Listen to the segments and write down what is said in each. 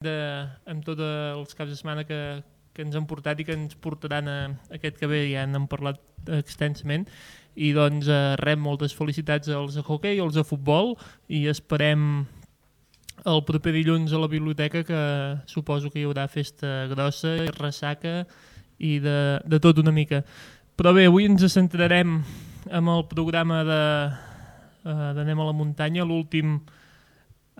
amb tots els caps de setmana que ens han portat i que ens portaran aquest que ve, ja n'hem parlat extensament, i doncs moltes felicitats als de hoquei i als de futbol, i esperem el proper dilluns a la biblioteca, que suposo que hi haurà festa grossa i ressaca i de tot una mica. Però bé, avui ens centrarem en el programa d'Anem a la muntanya, l'últim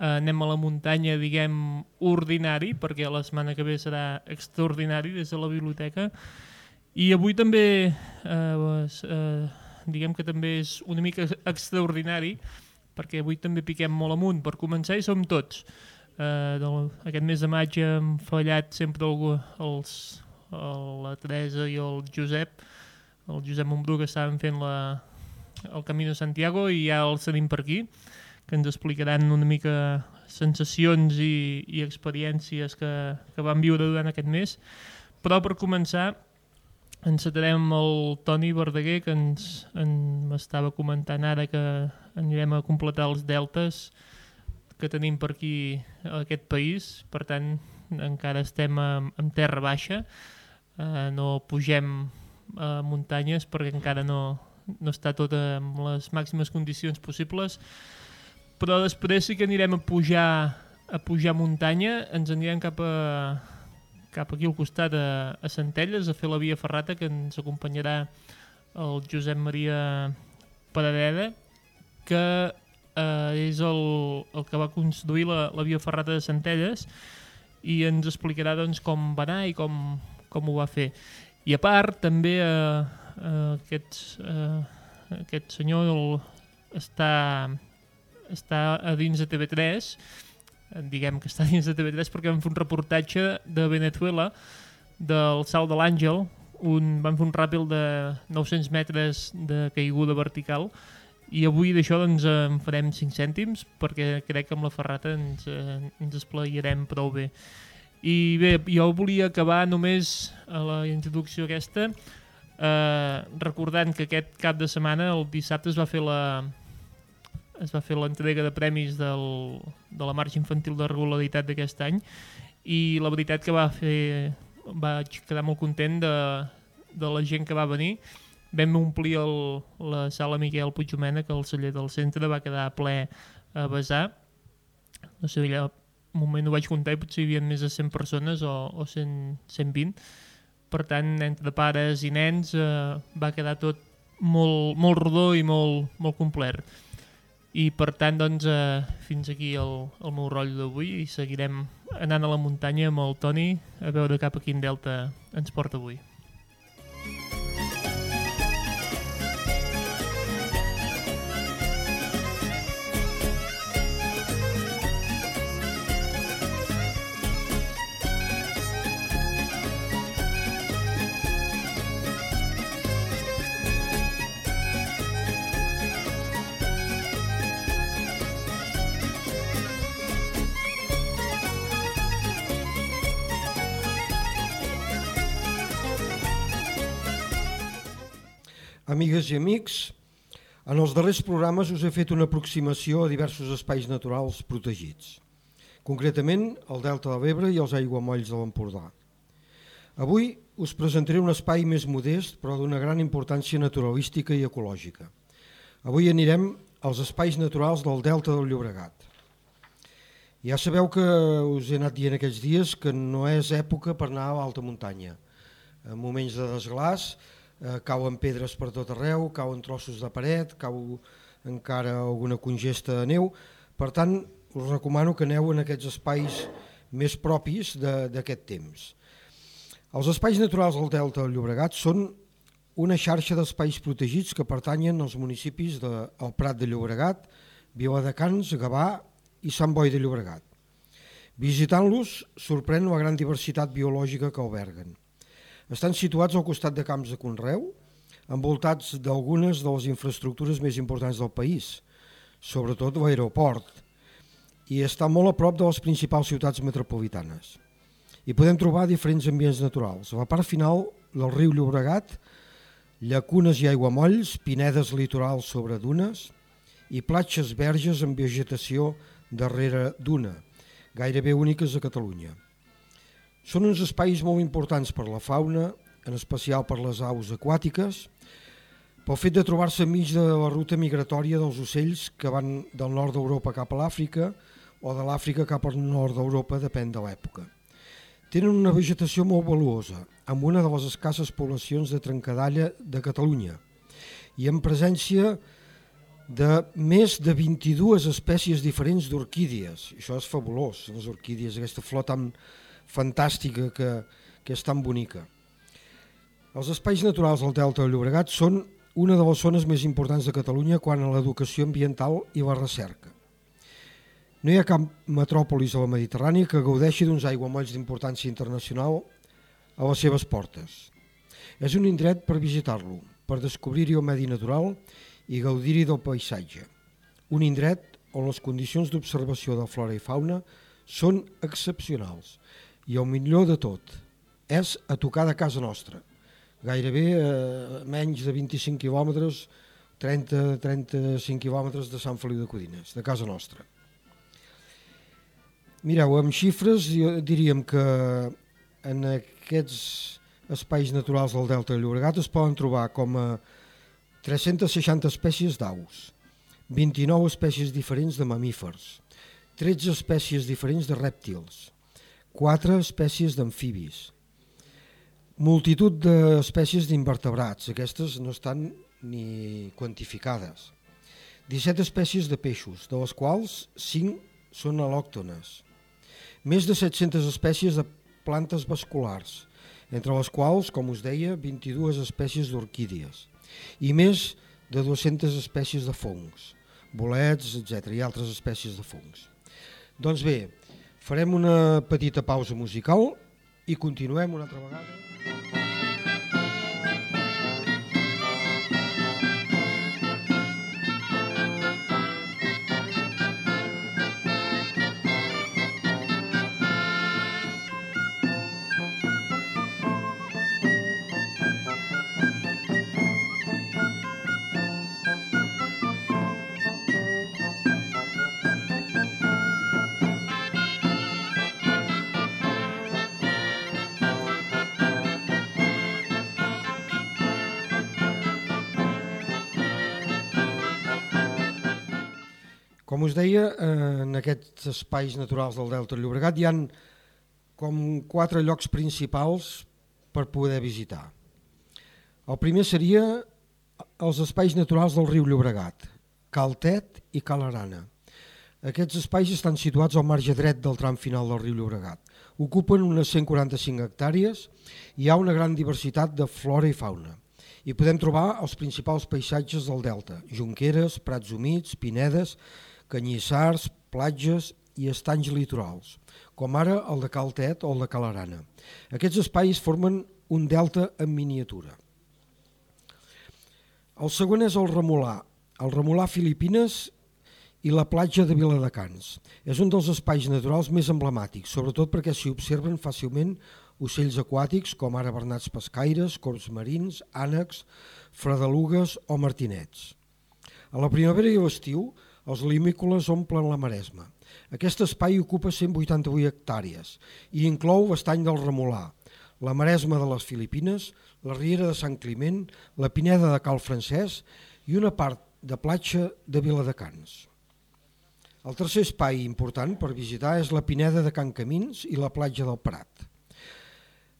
Anem a la muntanya, diguem, ordinari, perquè la setmana que ve serà extraordinari des de la biblioteca. I avui també, diguem que també és una mica extraordinari, perquè avui també piquem molt amunt. Per començar, hi som tots. Aquest mes de maig hem fallat sempre la Teresa i el Josep Montbrú, que estaven fent el Camino Santiago, i ja els tenim per aquí, que ens explicaran una mica sensacions i experiències que van viure durant aquest mes. Però per començar encetarem el Toni Verdaguer, que m'estava comentant ara que anirem a completar els deltes que tenim per aquí a aquest país. Per tant, encara estem en terra baixa, no pugem a muntanyes perquè encara no està tot en les màximes condicions possibles. Però després sí que anirem a pujar muntanya, ens anirem cap aquí al costat a Centelles, a fer la via ferrata, que ens acompanyarà el Josep Maria Paradeda, que és el que va construir la via ferrata de Centelles, i ens explicarà doncs, com va anar i com ho va fer. I a part també aquest senyor està a dins de TV3, diguem que està dins de TV3 perquè vam fer un reportatge de Venezuela, del Salt de l'Àngel, vam fer un ràpid de 900 metres de caiguda vertical, i avui d'això doncs, en farem 5 cèntims, perquè crec que amb la ferrata ens esplaiarem prou bé. I bé, jo volia acabar només a la introducció aquesta recordant que aquest cap de setmana, el dissabte, es va fer l'entrega de premis de la marxa infantil de regularitat d'aquest any, i la veritat que vaig quedar molt content de la gent que va venir. Vam omplir la sala Miquel Puigdomènech, que el celler del centre va quedar ple a vessar. No sé, allà un moment ho vaig comptar i potser hi havia més de 100 persones o 120. Per tant, entre pares i nens va quedar tot molt rodó i molt complet. I per tant, doncs, fins aquí el meu rotllo d'avui, i seguirem anant a la muntanya amb el Toni a veure cap a quin delta ens porta avui. Amigues i amics, en els darrers programes us he fet una aproximació a diversos espais naturals protegits, concretament el Delta de l'Ebre i els aiguamolls de l'Empordà. Avui us presentaré un espai més modest, però d'una gran importància naturalística i ecològica. Avui anirem als espais naturals del Delta del Llobregat. Ja sabeu que us he anat dient aquests dies que no és època per anar a l'alta muntanya. En moments de desglàs, cauen pedres per tot arreu, cauen trossos de paret, cau encara alguna congesta de neu. Per tant, us recomano que aneu en aquests espais més propis d'aquest temps. Els espais naturals del Delta del Llobregat són una xarxa d'espais protegits que pertanyen als municipis del Prat de Llobregat, Viladecans, Gavà i Sant Boi de Llobregat. Visitant-los sorprèn la gran diversitat biològica que alberguen. Estan situats al costat de camps de conreu, envoltats d'algunes de les infraestructures més importants del país, sobretot l'aeroport, i està molt a prop de les principals ciutats metropolitanes. Hi podem trobar diferents ambients naturals. A la part final del riu Llobregat, llacunes i aiguamolls, pinedes litorals sobre dunes i platges verges amb vegetació darrere duna, gairebé úniques a Catalunya. Són uns espais molt importants per la fauna, en especial per les aus aquàtiques, pel fet de trobar-se enmig de la ruta migratòria dels ocells que van del nord d'Europa cap a l'Àfrica o de l'Àfrica cap al nord d'Europa, depèn de l'època. Tenen una vegetació molt valuosa, amb una de les escasses poblacions de trencadalla de Catalunya i en presència de més de 22 espècies diferents d'orquídies. Això és fabulós, les orquídies, aquesta flor tan fantàstica que és tan bonica. Els espais naturals del Delta del Llobregat són una de les zones més importants de Catalunya quant a l'educació ambiental i la recerca. No hi ha cap metròpolis a la Mediterrània que gaudeixi d'uns aiguamolls d'importància internacional a les seves portes. És un indret per visitar-lo, per descobrir-hi el medi natural i gaudir-hi del paisatge. Un indret on les condicions d'observació de flora i fauna són excepcionals i el millor de tot és a tocar de casa nostra, gairebé menys de 25 quilòmetres, 30-35 quilòmetres de Sant Feliu de Codines, de casa nostra. Mireu, amb xifres diríem que en aquests espais naturals del Delta del Llobregat es poden trobar com a 360 espècies d'aus, 29 espècies diferents de mamífers, 13 espècies diferents de rèptils, 4 espècies d'amfibis, multitud d'espècies d'invertebrats, aquestes no estan ni quantificades, 17 espècies de peixos, de les quals 5 són al·lòctones, més de 700 espècies de plantes vasculars, entre les quals, com us deia, 22 espècies d'orquídies i més de 200 espècies de fongs, bolets, etc. i altres espècies de fongs. Doncs bé, farem una petita pausa musical i continuem una altra vegada. Com us deia, en aquests espais naturals del Delta del Llobregat hi ha com 4 llocs principals per poder visitar. El primer seria els espais naturals del riu Llobregat, Cal Tet i Cal Arana. Aquests espais estan situats al marge dret del tram final del riu Llobregat. Ocupen unes 145 hectàrees i hi ha una gran diversitat de flora i fauna. Hi podem trobar els principals paisatges del delta, jonqueres, prats humits, pinedes, canyissars, platges i estanys litorals, com ara el de Cal Tet o el de Cal Arana. Aquests espais formen un delta en miniatura. El següent és el Remolà Filipines i la platja de Viladecans. És un dels espais naturals més emblemàtics, sobretot perquè s'hi observen fàcilment ocells aquàtics com ara bernats pescaires, corbs marins, ànecs, fredelugues o martinets. A la primavera i a l'estiu, els limícoles omplen la Maresma. Aquest espai ocupa 188 hectàrees i inclou l'estany del Remolà, la Maresma de les Filipines, la riera de Sant Climent, la pineda de Cal Francesc i una part de platja de Viladecans. El tercer espai important per visitar és la pineda de Can Camins i la platja del Prat.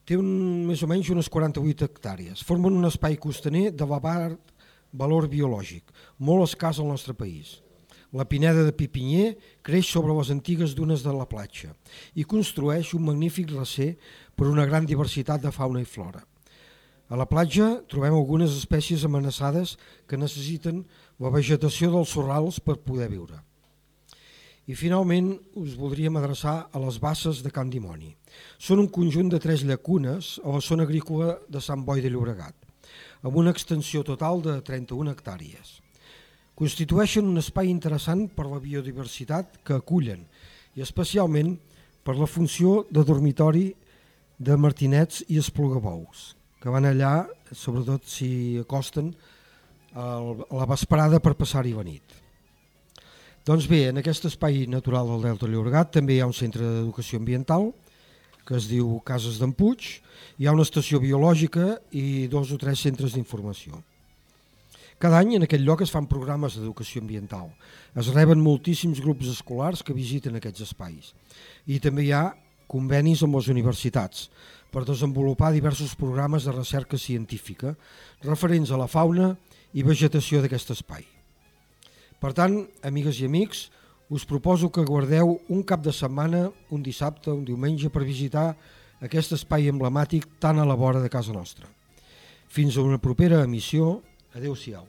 Té més o menys unes 48 hectàrees. Formen un espai costaner d'elevat valor biològic, molt escàs al nostre país. La pineda de Pipinyer creix sobre les antigues dunes de la platja i construeix un magnífic recer per una gran diversitat de fauna i flora. A la platja trobem algunes espècies amenaçades que necessiten la vegetació dels sorrals per poder viure. I finalment us voldríem adreçar a les basses de Can Dimoni. Són un conjunt de 3 llacunes a la zona agrícola de Sant Boi de Llobregat, amb una extensió total de 31 hectàrees. Constitueixen un espai interessant per la biodiversitat que acullen i especialment per la funció de dormitori de martinets i esplugabous, que van allà, sobretot si acosten, a la vesprada per passar-hi la nit. Doncs bé, en aquest espai natural del Delta Llobregat també hi ha un centre d'educació ambiental que es diu Cases d'en Puig, hi ha una estació biològica i 2 o 3 centres d'informació. Cada any en aquest lloc es fan programes d'educació ambiental. Es reben moltíssims grups escolars que visiten aquests espais. I també hi ha convenis amb les universitats per desenvolupar diversos programes de recerca científica referents a la fauna i vegetació d'aquest espai. Per tant, amigues i amics, us proposo que guardeu un cap de setmana, un dissabte, un diumenge, per visitar aquest espai emblemàtic tan a la vora de casa nostra. Fins a una propera emissió. Adéu-siau.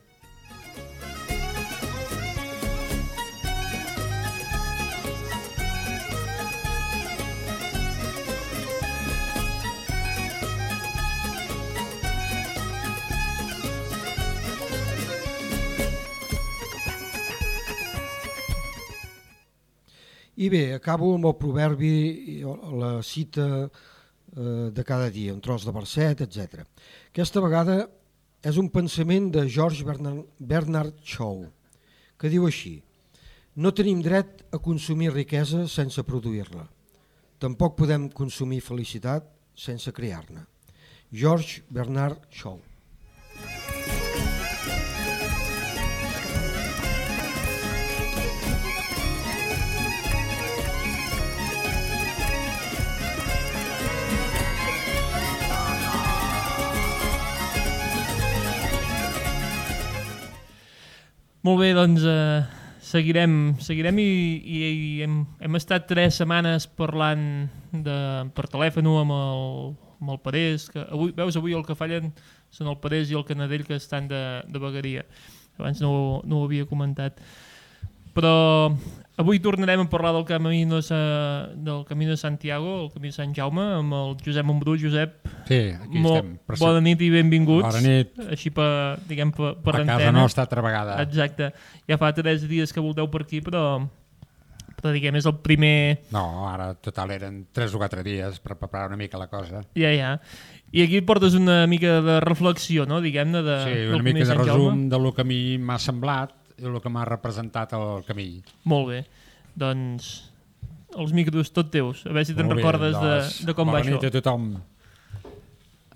I bé, acabo amb el proverbi, la cita de cada dia, un tros de verset, etc. Aquesta vegada és un pensament de George Bernard Shaw, que diu així: no tenim dret a consumir riquesa sense produir-la. Tampoc podem consumir felicitat sense crear-ne. George Bernard Shaw. Molt bé, doncs seguirem i hem estat 3 setmanes parlant per telèfon amb el Parés, que avui el que fallen són el Parés i el Canadell, que estan de vegueria. Abans no ho havia comentat. Però avui tornarem a parlar del camí de Santiago, el camí de Sant Jaume, amb el Josep Montbrú. Josep, sí, aquí estem. Bona nit i benvinguts. Bona nit. Així per a casa nostra altra vegada. Exacte. Ja fa 3 dies que volteu per aquí, però diguem, és el primer... No, ara total eren 3 o 4 dies per preparar una mica la cosa. Ja. I aquí portes una mica de reflexió, no? Diguem-ne, sí, una mica de resum del que a mi m'ha semblat i el que m'ha representat el camí. Molt bé. Doncs els micros tot teus. A veure si te'n recordes de com va això. Bona nit a tothom.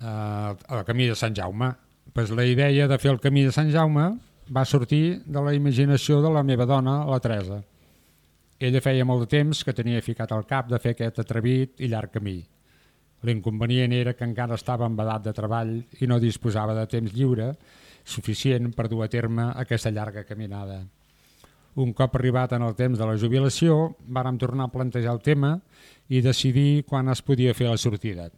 El camí de Sant Jaume. Pues la idea de fer el camí de Sant Jaume va sortir de la imaginació de la meva dona, la Teresa. Ella feia molt de temps que tenia ficat al cap de fer aquest atrevit i llarg camí. L'inconvenient era que encara estava en edat de treball i no disposava de temps lliure suficient per dur a terme aquesta llarga caminada. Un cop arribat en el temps de la jubilació, vàrem tornar a plantejar el tema i decidir quan es podia fer la sortida.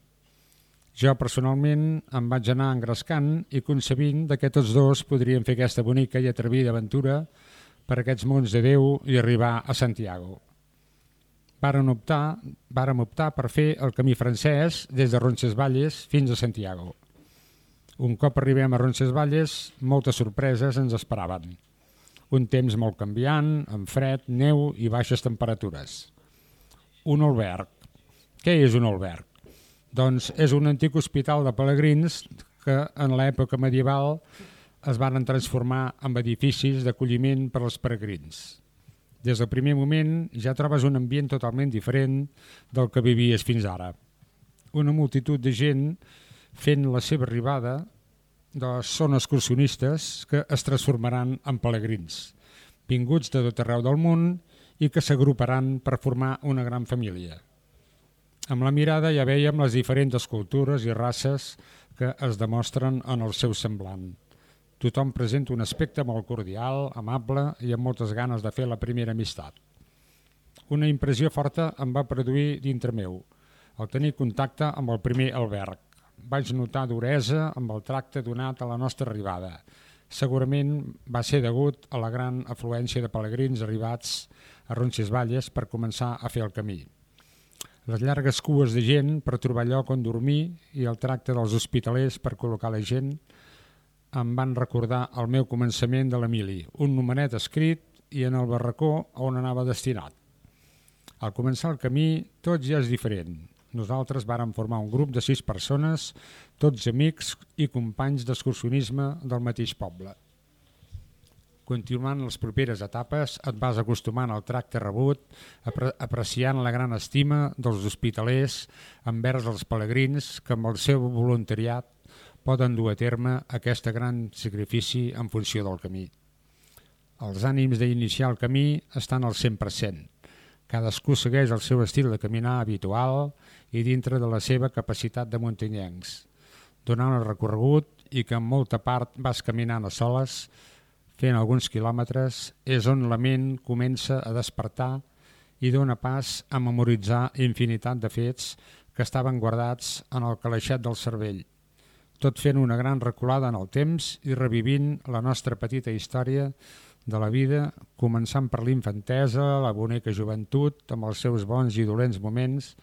Jo personalment em vaig anar engrescant i concebint que tots dos podríem fer aquesta bonica i atrevida aventura per aquests mons de Déu i arribar a Santiago. Vàrem optar per fer el camí francès des de Roncesvalles fins a Santiago. Un cop arribem a Roncesvalles, moltes sorpreses ens esperaven. Un temps molt canviant, amb fred, neu i baixes temperatures. Un alberg. Què és un alberg? Doncs és un antic hospital de pelegrins que en l'època medieval es van transformar en edificis d'acolliment per als peregrins. Des del primer moment ja trobes un ambient totalment diferent del que vivies fins ara. Una multitud de gent fent la seva arribada són excursionistes que es transformaran en pelegrins, vinguts de tot arreu del món i que s'agruparan per formar una gran família. Amb la mirada ja veiem les diferents cultures i races que es demostren en el seu semblant. Tothom presenta un aspecte molt cordial, amable i amb moltes ganes de fer la primera amistat. Una impressió forta em va produir dintre meu, al tenir contacte amb el primer alberg. Vaig notar duresa amb el tracte donat a la nostra arribada. Segurament va ser degut a la gran afluència de pelegrins arribats a Roncesvalles per començar a fer el camí. Les llargues cues de gent per trobar lloc on dormir i el tracte dels hospitalers per col·locar la gent em van recordar el meu començament de l'Emili, un numeret escrit i en el barracó on anava destinat. Al començar el camí tot ja és diferent. Nosaltres vàrem formar un grup de 6 persones, tots amics i companys d'excursionisme del mateix poble. Continuant les properes etapes, et vas acostumant al tracte rebut, apreciant la gran estima dels hospitalers envers els pelegrins que amb el seu voluntariat poden dur a terme aquest gran sacrifici en funció del camí. Els ànims d'iniciar el camí estan al 100%. Cadascú segueix el seu estil de caminar habitual i dintre de la seva capacitat de muntanyencs, donant el recorregut i que en molta part vas caminant a soles, fent alguns quilòmetres, és on la ment comença a despertar i dona pas a memoritzar infinitat de fets que estaven guardats en el calaixet del cervell, tot fent una gran reculada en el temps i revivint la nostra petita història de la vida, començant per l'infantesa, la bonica joventut, amb els seus bons i dolents moments,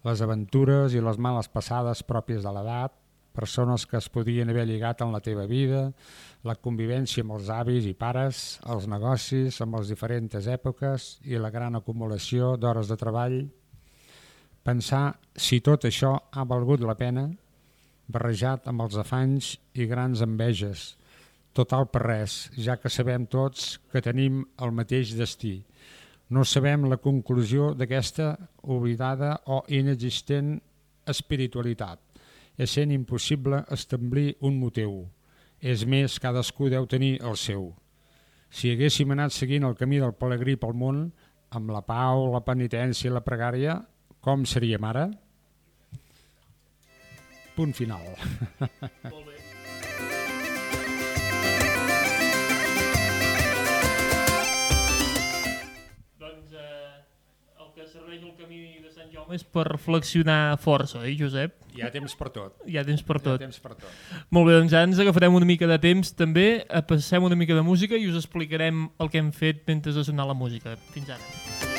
les aventures i les males passades pròpies de l'edat, persones que es podien haver lligat en la teva vida, la convivència amb els avis i pares, els negocis amb les diferents èpoques i la gran acumulació d'hores de treball. Pensar si tot això ha valgut la pena, barrejat amb els afanys i grans enveges. Total per res, ja que sabem tots que tenim el mateix destí. No sabem la conclusió d'aquesta oblidada o inexistent espiritualitat. És sent impossible establir un motiu. És més, cadascú deu tenir el seu. Si haguéssim anat seguint el camí del pelegrí pel món, amb la pau, la penitència i la pregària, com seríem ara? Punt final. Molt bé. Doncs el que serveix el camí de Sant Jaume és per reflexionar força, Josep? Hi ha temps per tot. Hi ha temps per tot. Hi ha temps per tot. Molt bé, doncs ara ens agafarem una mica de temps també, passem una mica de música i us explicarem el que hem fet mentre ha sonat la música. Fins ara.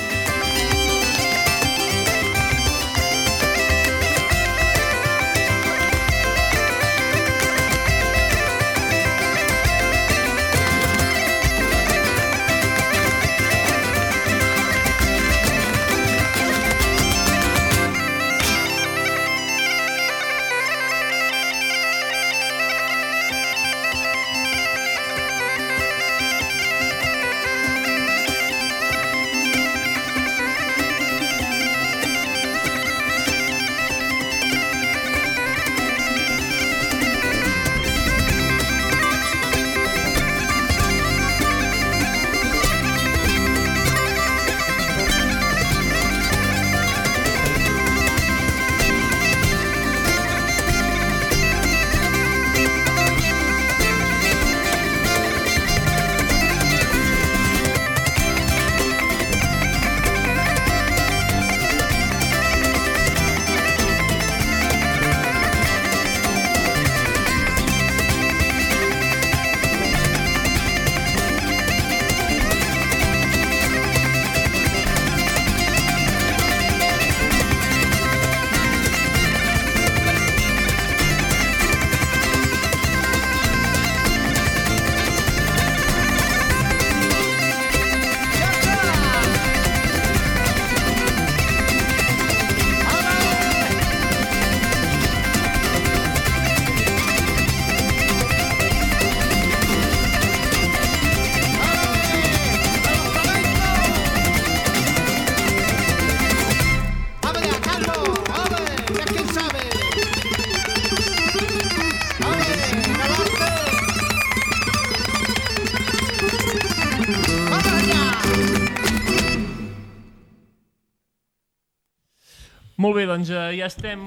Molt bé, doncs ja estem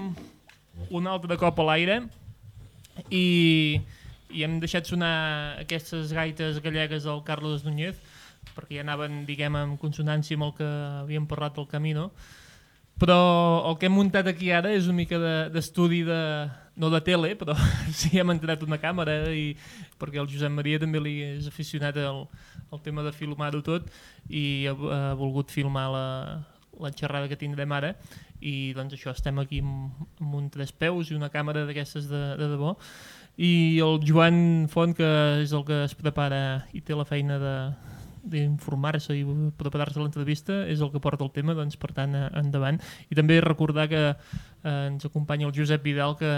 un altre cop a l'aire i hem deixat sonar aquestes gaites gallegues del Carlos Núñez perquè ja anaven, diguem, en consonància amb el que havíem parlat del Camino, però el que hem muntat aquí ara és una mica d'estudi no de tele, però sí hem entrat una càmera perquè el Josep Maria també li és aficionat al tema de filmar-ho tot i ha volgut filmar la xerrada que tindrem ara i doncs això, estem aquí amb un trespeus i una càmera d'aquestes de debò i el Joan Font, que és el que es prepara i té la feina d'informar-se i preparar-se a l'entrevista, és el que porta el tema, doncs per tant endavant. I també recordar que ens acompanya el Josep Vidal, que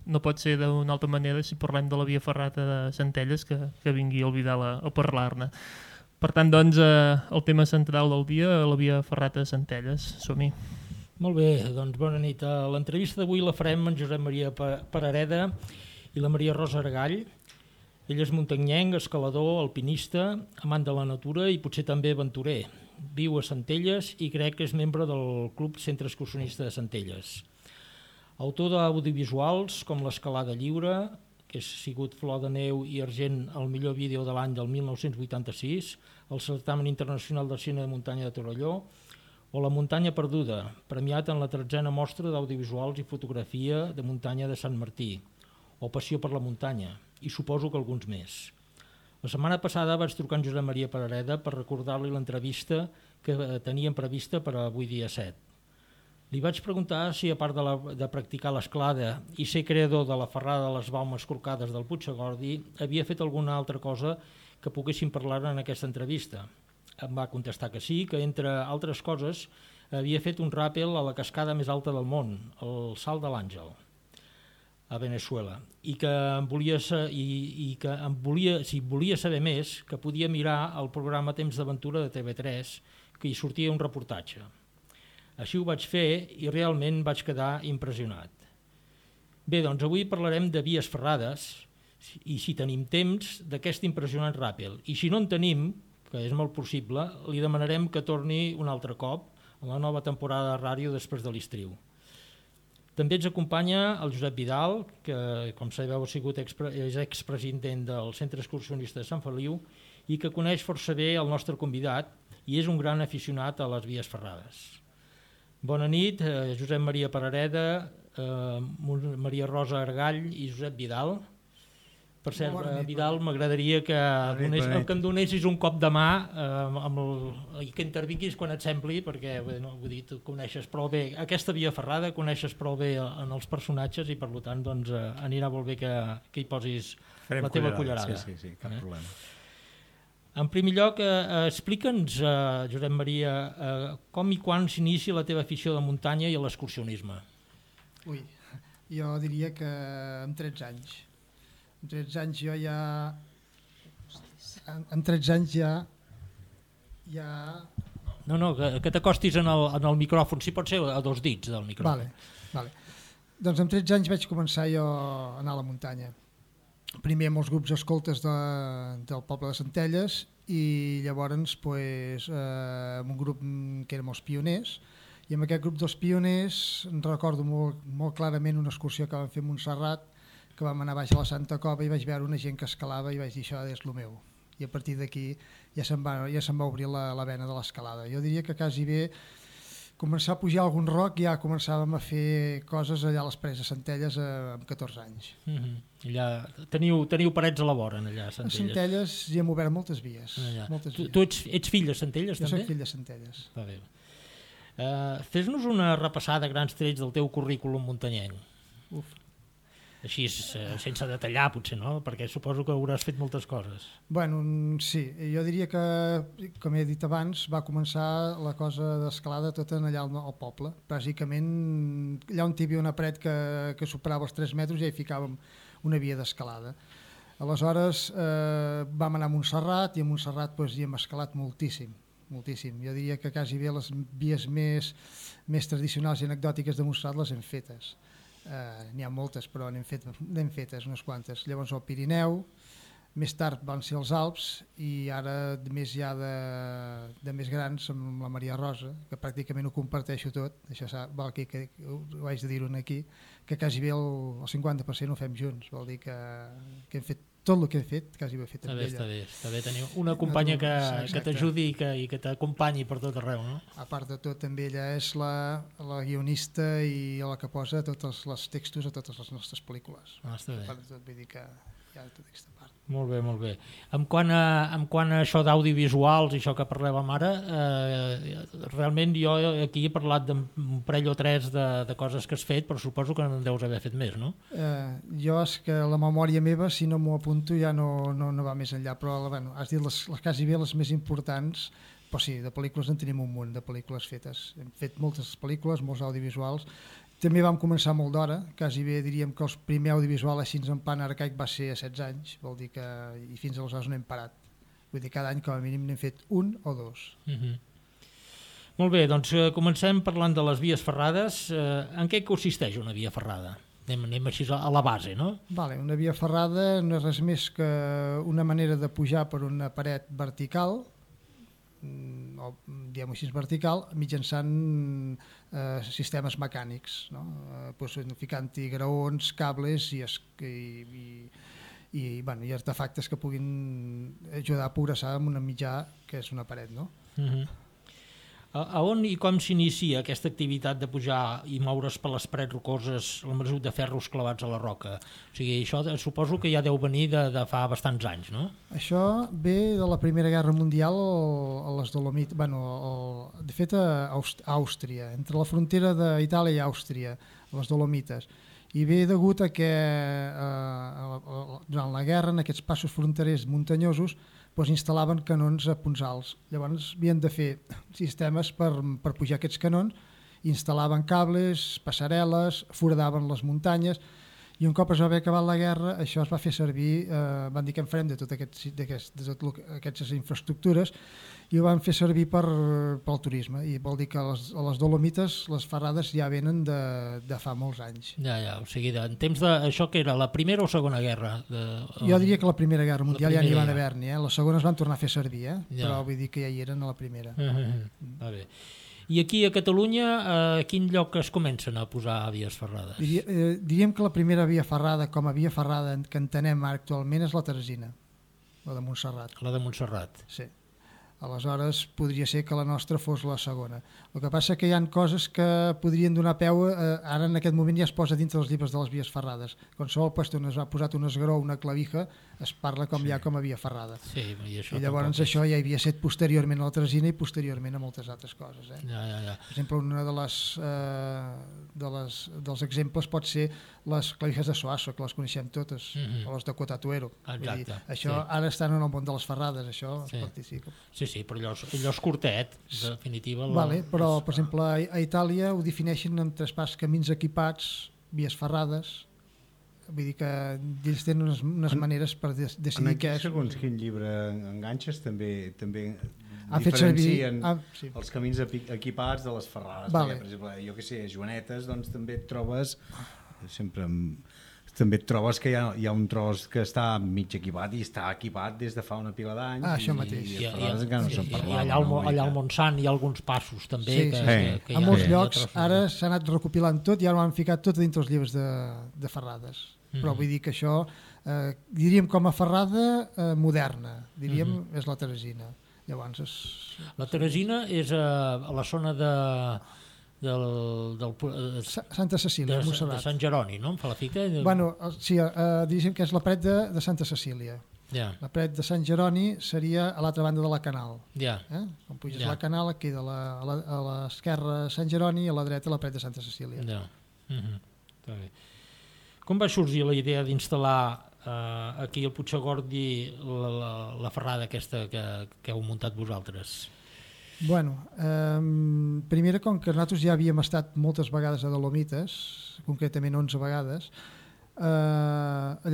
no pot ser d'una altra manera si parlem de la Via Ferrata de Centelles que vingui el Vidal a parlar-ne. Per tant, doncs, el tema central del dia, la Via Ferrata de Centelles. Som-hi. Molt bé, doncs bona nit. L'entrevista d'avui la farem amb Josep Maria Parareda i la Maria Rosa Argall. Ell és muntanyenc, escalador, alpinista, amant de la natura i potser també aventurer. Viu a Centelles i crec que és membre del Club Centre Excursionista de Centelles. Autor d'audiovisuals com l'Escalada Lliure, que ha sigut Flor de Neu i Argent al millor vídeo de l'any del 1986, el Certamen Internacional de Cine de Muntanya de Torelló, o La Muntanya Perduda, premiat en la 13a mostra d'audiovisuals i fotografia de muntanya de Sant Martí, o Passió per la muntanya, i suposo que alguns més. La setmana passada vaig trucar en Josep Maria Parareda per recordar-li l'entrevista que teníem prevista per avui dia 7. Li vaig preguntar si, a part de practicar l'escalada i ser creador de la ferrada de les baumes corcades del Puigdegordi, havia fet alguna altra cosa que poguéssim parlar en aquesta entrevista. Em va contestar que sí, que entre altres coses havia fet un ràpel a la cascada més alta del món, el Salt de l'Àngel, a Veneçuela, i que si volia saber més, que podia mirar el programa Temps d'Aventura de TV3, que hi sortia un reportatge. Així ho vaig fer i realment vaig quedar impressionat. Bé, doncs avui parlarem de vies ferrades i, si tenim temps, d'aquest impressionant ràpel. I si no en tenim, que és molt possible, li demanarem que torni un altre cop a la nova temporada de ràdio després de l'estiu. També ens acompanya el Josep Vidal, que, com sabeu, és expresident del Centre Excursionista de Sant Feliu i que coneix força bé el nostre convidat i és un gran aficionat a les vies ferrades. Bona nit, Josep Maria Parareda, Maria Rosa Argall i Josep Vidal. Per cert, Vidal, m'agradaria que em donessis un cop de mà i que intervinguis quan et sembli, perquè vull dir, tu coneixes prou bé aquesta via ferrada, coneixes prou bé en els personatges i per tant doncs, anirà molt bé que hi posis la teva cullerada. Sí, cap problema. En primer lloc, explica'ns, Josep Maria, com i quan s'inicia la teva afició de muntanya i a l'excursionisme. Ui, jo diria que amb 13 anys. Amb 13 anys jo ja... Amb 13 anys ja... No, que t'acostis en el micròfon, si pot ser a 2 dits del micròfon. Vale. Doncs amb 13 anys vaig començar jo a anar a la muntanya. Primer amb els grups escoltes del poble de Centelles i llavors amb un grup que érem els pioners, i amb aquest grup dels pioners recordo molt clarament una excursió que vam fer a Montserrat, que vam anar baix a la Santa Cova i vaig veure una gent que escalava i vaig dir això és el meu, i a partir d'aquí ja se'm va obrir la vena de l'escalada. Jo diria que quasi bé començar a pujar algun roc, ja començàvem a fer coses allà a les Preses de Centelles amb 14 anys. Allà teniu parets a la vora, allà a Centelles. A Centelles hi hem obert moltes vies. Tu ets fill de Centelles, també? Jo soc fill de Centelles. Va bé. Fes-nos una repassada a grans trets del teu currículum muntanyenc. Així, sense detallar, potser, no? Perquè suposo que hauràs fet moltes coses. Bueno, sí. Jo diria que, com he dit abans, va començar la cosa d'escalada tot allà al poble. Bàsicament, allà on hi havia una paret que superava els 3 metres ja hi ficàvem una via d'escalada. Aleshores, vam anar a Montserrat i a Montserrat hi hem escalat moltíssim. Jo diria que quasi bé les vies més tradicionals i anecdòtiques de Montserrat les hem fetes. N'hi ha moltes, però n'hem fetes unes quantes. Llavors el Pirineu, més tard van ser els Alps i ara més ja de més grans amb la Maria Rosa, que pràcticament ho comparteixo tot, això vol dir que ho haig de dir-ho aquí, que quasi bé el 50% ho fem junts, vol dir que hem fet tot el que he fet, quasi ho he fet amb ella. Està bé tenir una companya que t'ajudi i que t'acompanyi per tot arreu, no? A part de tot, també ella és la guionista i la que posa tots els textos a totes les nostres pel·lícules. Està bé. A part de tot, vull dir que hi ha tota aquesta part. Molt bé. En quant a això d'audiovisuals i això que parlàvem ara, realment jo aquí he parlat d'un parell o 3 de coses que has fet, però suposo que en deus haver fet més, no? Jo és que la memòria meva, si no m'ho apunto, ja no va més enllà, però has dit les quasi bé les més importants, però sí, de pel·lícules en tenim un munt de pel·lícules fetes. Hem fet moltes pel·lícules, molts audiovisuals, També vam començar molt d'hora, quasi bé diríem que el primer audiovisual així en plan arcaic va ser a 16 anys, vol dir que i fins aleshores no hem parat. Vull dir, cada any com a mínim n'hem fet un o dos. Molt bé, doncs comencem parlant de les vies ferrades. En què consisteix una via ferrada? Anem així a la base, no? Vale, una via ferrada no és res més que una manera de pujar per una paret vertical, o diguem-ho així vertical, mitjançant sistemes mecànics, no? Ficant-hi graons, cables i artefactes que puguin ajudar a progressar en un mitjà que és una paret, no? A on i com s'inicia aquesta activitat de pujar i moure's per les parets rocoses l'embresut de ferros clavats a la roca? O sigui, això suposo que ja deu venir de fa bastants anys, no? Això ve de la Primera Guerra Mundial a les Dolomites, de fet a Àustria, entre la frontera d'Itàlia i Àustria, a les Dolomites. I ve degut a que durant la guerra, en aquests passos fronterers muntanyosos, instal·laven canons a punts alts. Llavors havien de fer sistemes per pujar aquests canons, instal·laven cables, passarel·les, foradaven les muntanyes, i un cop es va haver acabat la guerra, això es va fer servir, van dir que en farem de totes aquestes infraestructures, i ho van fer servir pel turisme, i vol dir que a les Dolomites les ferrades ja venen de fa molts anys. Ja, o sigui, en temps d'això que era la Primera o Segona Guerra? Jo diria que la Primera Guerra Mundial ja n'hi van haver-n'hi, les segones van tornar a fer servir, però vull dir que ja hi eren a la primera. Va bé. I aquí a Catalunya, a quin lloc es comencen a posar vies ferrades? Diríem que la primera via ferrada, com a via ferrada que entenem actualment, és la Teresina, la de Montserrat. La de Montserrat. Sí. Aleshores podria ser que la nostra fos la segona. El que passa que hi ha coses que podrien donar peu, ara en aquest moment ja es posa dintre dels llibres de les vies ferrades. Qualsevol puesto on es ha posat un esgró o una clavija es parla ja com a via ferrada. Sí, i llavors això ja havia set posteriorment a la Teresina i posteriorment a moltes altres coses. Ja. Per exemple, una dels exemples pot ser les clavijas de Soasso, que les coneixem totes, o les de Cotatuero. Exacte. Això ara estan en el món de les ferrades, això es participa. Sí, però allò és curtet, en definitiva. Però, per exemple, a Itàlia ho defineixen en tres passos: camins equipats, vies ferrades. Vull dir que ells tenen unes maneres per decidir què és. Segons quin llibre enganxes també diferencien els camins equipats de les ferrades. Perquè, per exemple, jo que sé, a Joanetes doncs, també et trobes que hi ha un tros que està mig equipat i està equipat des de fa una pila d'anys. Això mateix. I allà al Montsant hi ha alguns passos també. A molts llocs ara s'ha anat recopilant tot i ara ho han ficat tot dintre els llibres de ferrades. Però vull dir que això, diríem com a ferrada moderna, és la Teresina. La Teresina és a la zona de Santa Cecília, Montserrat. De Sant Jeroni, no? Em fa la fita? Sí, diríem que és la paret de Santa Cecília. La paret de Sant Jeroni seria a l'altra banda de la Canal. Quan puges la Canal, queda a l'esquerra Sant Jeroni i a la dreta la paret de Santa Cecília. Està bé. Com va sorgir la idea d'instal·lar aquí al Puigcercós la ferrada aquesta que heu muntat vosaltres? Primera, com que nosaltres ja havíem estat moltes vegades a Dolomites, concretament 11 vegades,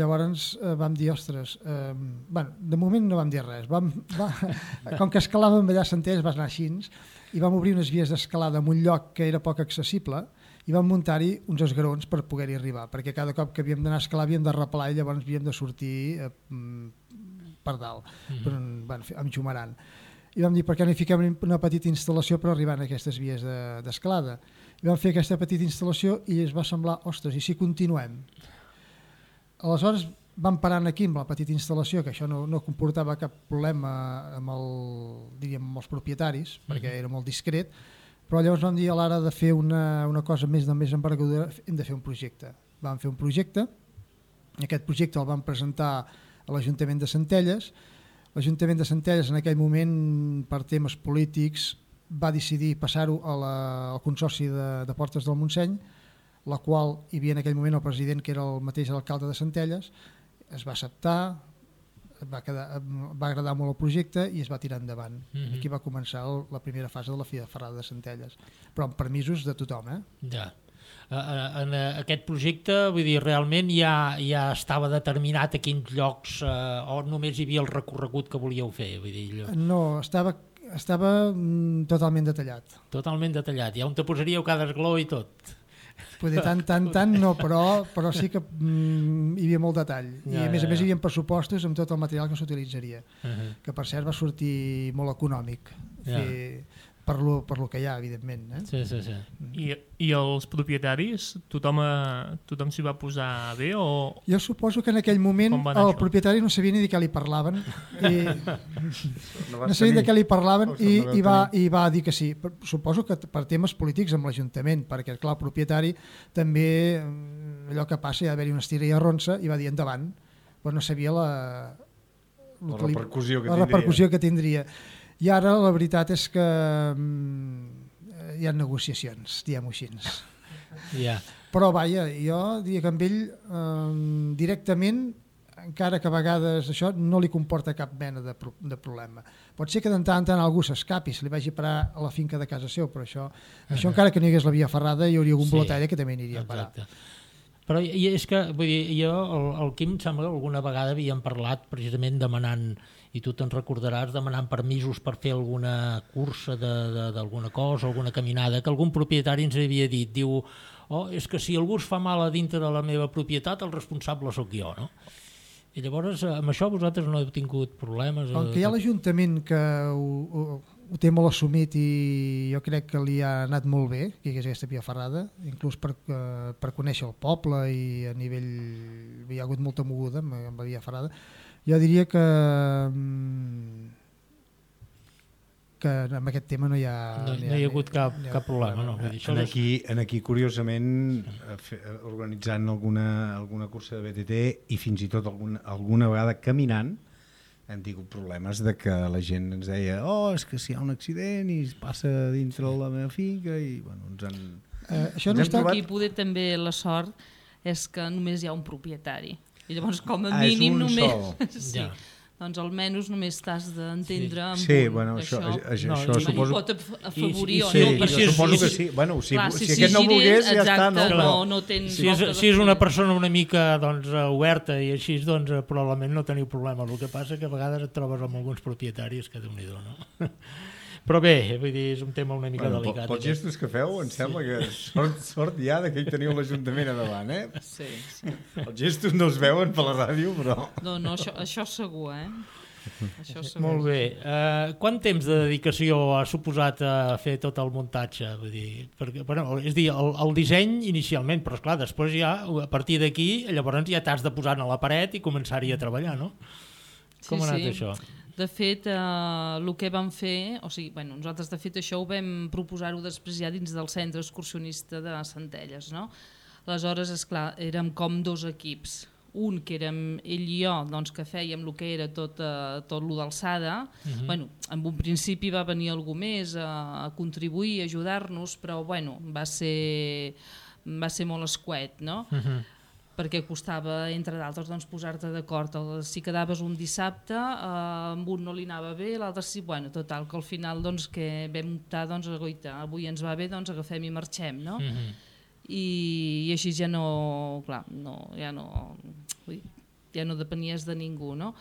llavors vam dir, ostres, de moment no vam dir res, com que escalàvem allà a Centelles va anar així, i vam obrir unes vies d'escalada en un lloc que era poc accessible i vam muntar-hi uns esgrons per poder-hi arribar, perquè cada cop que havíem d'anar a escalar havíem de replar i llavors havíem de sortir per dalt, amb xumarant. I vam dir, per què no hi fiquem una petita instal·lació per arribar a aquestes vies d'escalada? I vam fer aquesta petita instal·lació i es va semblar, ostres, i si continuem? Aleshores vam parar aquí amb la petita instal·lació, que això no comportava cap problema amb els propietaris, perquè era molt discret, però llavors vam dir, a l'hora de fer una cosa més envergadura, hem de fer un projecte. Vam fer un projecte, aquest projecte el vam presentar a l'Ajuntament de Centelles. L'Ajuntament de Centelles en aquell moment, per temes polítics, va decidir passar-ho al Consorci de Portes del Montseny, la qual hi havia en aquell moment el president, que era el mateix alcalde de Centelles, es va acceptar, va agradar molt el projecte i es va tirar endavant. Aquí va començar la primera fase de la Fira Ferrada de Centelles, però amb permisos de tothom. Ja. En aquest projecte, vull dir, realment ja estava determinat a quins llocs o només hi havia el recorregut que volíeu fer? Vull dir, no, estava totalment detallat. Totalment detallat, ja on te posaríeu cada esgló i tot. Poder tant no, però sí que hi havia molt detall. I a més hi havia pressupostos amb tot el material que s'utilitzaria, que per cert va sortir molt econòmic per lo que hi ha, evidentment. Sí. I els propietaris, tothom s'hi va posar bé? O... Jo suposo que en aquell moment el propietari no sabia ni de què li parlaven i va dir que sí. Suposo que per temes polítics amb l'Ajuntament, perquè clar, el propietari també, allò que passa, hi ha d'haver-hi una estira i arronsa, i va dir endavant, però no sabia la repercussió que tindria. I ara la veritat és que hi ha negociacions, diguem-ho així. Però vaja, jo diria que amb ell directament, encara que a vegades això no li comporta cap mena de problema. Pot ser que de tant en tant algú s'escapi, se li vagi a parar a la finca de casa seu, però això encara que no hi hagués la via ferrada hi hauria algun blotalla que també aniria a parar. Però és que, vull dir, jo, el Quim, em sembla que alguna vegada havíem parlat precisament demanant, i tu te'n recordaràs, demanant permisos per fer alguna cursa d'alguna cosa, alguna caminada, que algun propietari ens havia dit, diu, és que si algú es fa mal a dintre de la meva propietat, el responsable sóc jo, no? I llavors, amb això vosaltres no heu tingut problemes? El que hi ha l'Ajuntament que ho té molt assumit i jo crec que li ha anat molt bé que hi hagués aquesta via ferrada, inclús per conèixer el poble i a nivell hi ha hagut molta moguda amb la via ferrada. Jo diria que amb aquest tema no hi ha hagut cap problema. No? Aquí, curiosament, organitzant alguna cursa de BTT i fins i tot alguna vegada caminant, hem tingut problemes de que la gent ens deia és que si hi ha un accident i es passa dintre la meva finca i ens han... Això no està aquí, poder també la sort és que només hi ha un propietari i llavors com a mínim només sí. Doncs almenys només t'has d'entendre amb això suposo... pot afavorir o no. Perquè suposo que sí. Bueno, si aquest no volgués, ja està. No tens si és una persona una mica oberta i així, probablement no teniu problema. El que passa que a vegades et trobes amb alguns propietaris que Déu-n'hi-do, no? Però bé, vull dir, és un tema una mica delicat. Pels gestos que feu, em sembla que sort ja que hi teniu l'Ajuntament a davant, eh? Sí. Els gestos no es veuen per la ràdio, però... No, això segur, Això segur. Molt bé. Quant temps de dedicació ha suposat a fer tot el muntatge? Vull dir, perquè, és dir, el disseny inicialment, però esclar, després ja, a partir d'aquí, llavors ja t'has de posar a la paret i començar-hi a treballar, no? Com ha anat això? De fet, el que vam fer, nosaltres de fet això ho vam proposar-ho després ja dins del centre excursionista de Centelles, no? Aleshores, esclar, érem com dos equips. Un que érem ell i jo, doncs, que fèiem el que era tot lo d'alçada. En un principi va venir algú més a contribuir, a ajudar-nos, però va ser molt escuet, no? Perquè costava, entre d'altres, posar-te d'acord. Si quedaves un dissabte, amb un no li anava bé, l'altre sí, total, que al final que vam optar, avui ens va bé, agafem i marxem, no? I així ja no depenies de ningú, no?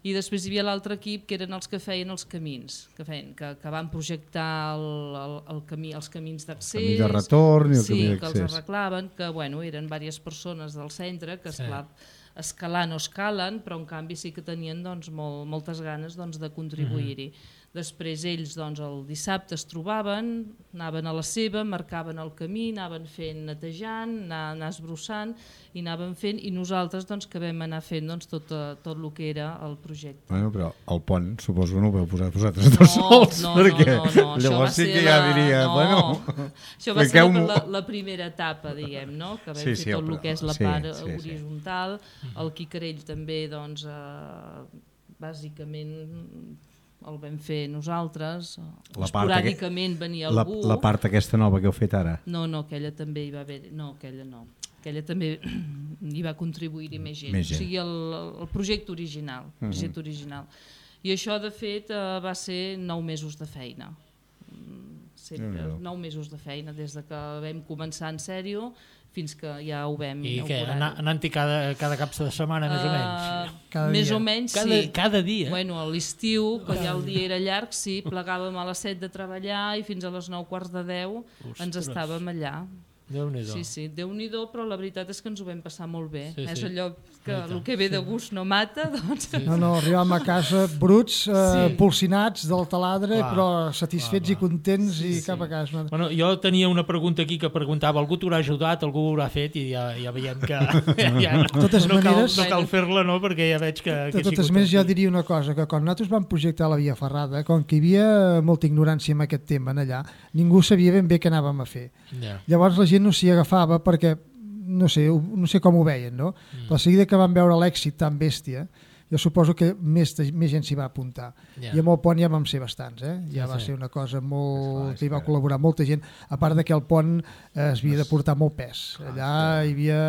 I després hi havia l'altre equip que eren els que feien els camins, que van projectar els camins d'accés, el camí de retorn i el camí d'accés. Que els arreglaven, que eren diverses persones del centre que escalar no escalen, però en canvi sí que tenien moltes ganes de contribuir-hi. Després ells el dissabte es trobaven, anaven a la seva, marcaven el camí, anaven fent netejant, anar esbrossant i anaven fent, i nosaltres que vam anar fent tot el que era el projecte. Bueno, però el pont suposo que no ho vau posar vosaltres dos sols, perquè llavors sí que ja diria... Això va ser la primera etapa, diguem, que vam fer tot el que és la part horitzontal, el Quicarell també, bàsicament... el vam fer nosaltres, esporàdicament venia algú. La part aquesta nova que heu fet ara? No, aquella també hi va haver... No, aquella no. Aquella també hi va contribuir-hi més gent. O sigui, el projecte original. I això, de fet, va ser 9 mesos de feina. sempre, 9 mesos de feina, des de que vam començar en sèrio fins que ja ho vam I què, inaugurar. anant-hi cada cap de setmana, més o menys? Cada Més dia. o menys, sí. Cada dia? Bueno, a l'estiu, que ja el dia era llarg, sí, plegàvem a les 7 de treballar i fins a les 9 quarts de 10 ens Ostres. estàvem allà. Déu-n'hi-do. Sí, sí, Déu-n'hi-do, però la veritat és que ens ho vam passar molt bé. Sí, És sí. allò que el que ve de gust no mata, doncs... No, arribàvem a casa bruts, polsinats del taladre, Clar. però satisfets i contents i cap a casa. Bueno, jo tenia una pregunta aquí que preguntava, algú t'haurà ajudat, algú ho haurà fet i ja veiem que totes maneres- no cal fer-la, no? Perquè ja veig que De totes maneres, jo diria una cosa, que quan nosaltres vam projectar la Via Ferrada, com que hi havia molta ignorància en aquest tema en allà, ningú sabia ben bé què anàvem a fer. Ja. Llavors la gent no s'hi agafava perquè no sé com ho veien, no? Però a seguida que van veure l'èxit tan bèstia, jo suposo que més gent s'hi va apuntar. Ja. I amb el pont ja vam ser bastants, ja va sí. ser una cosa molt... que hi va col·laborar molta gent, a part de que el pont es havia de portar molt pes. Allà hi havia...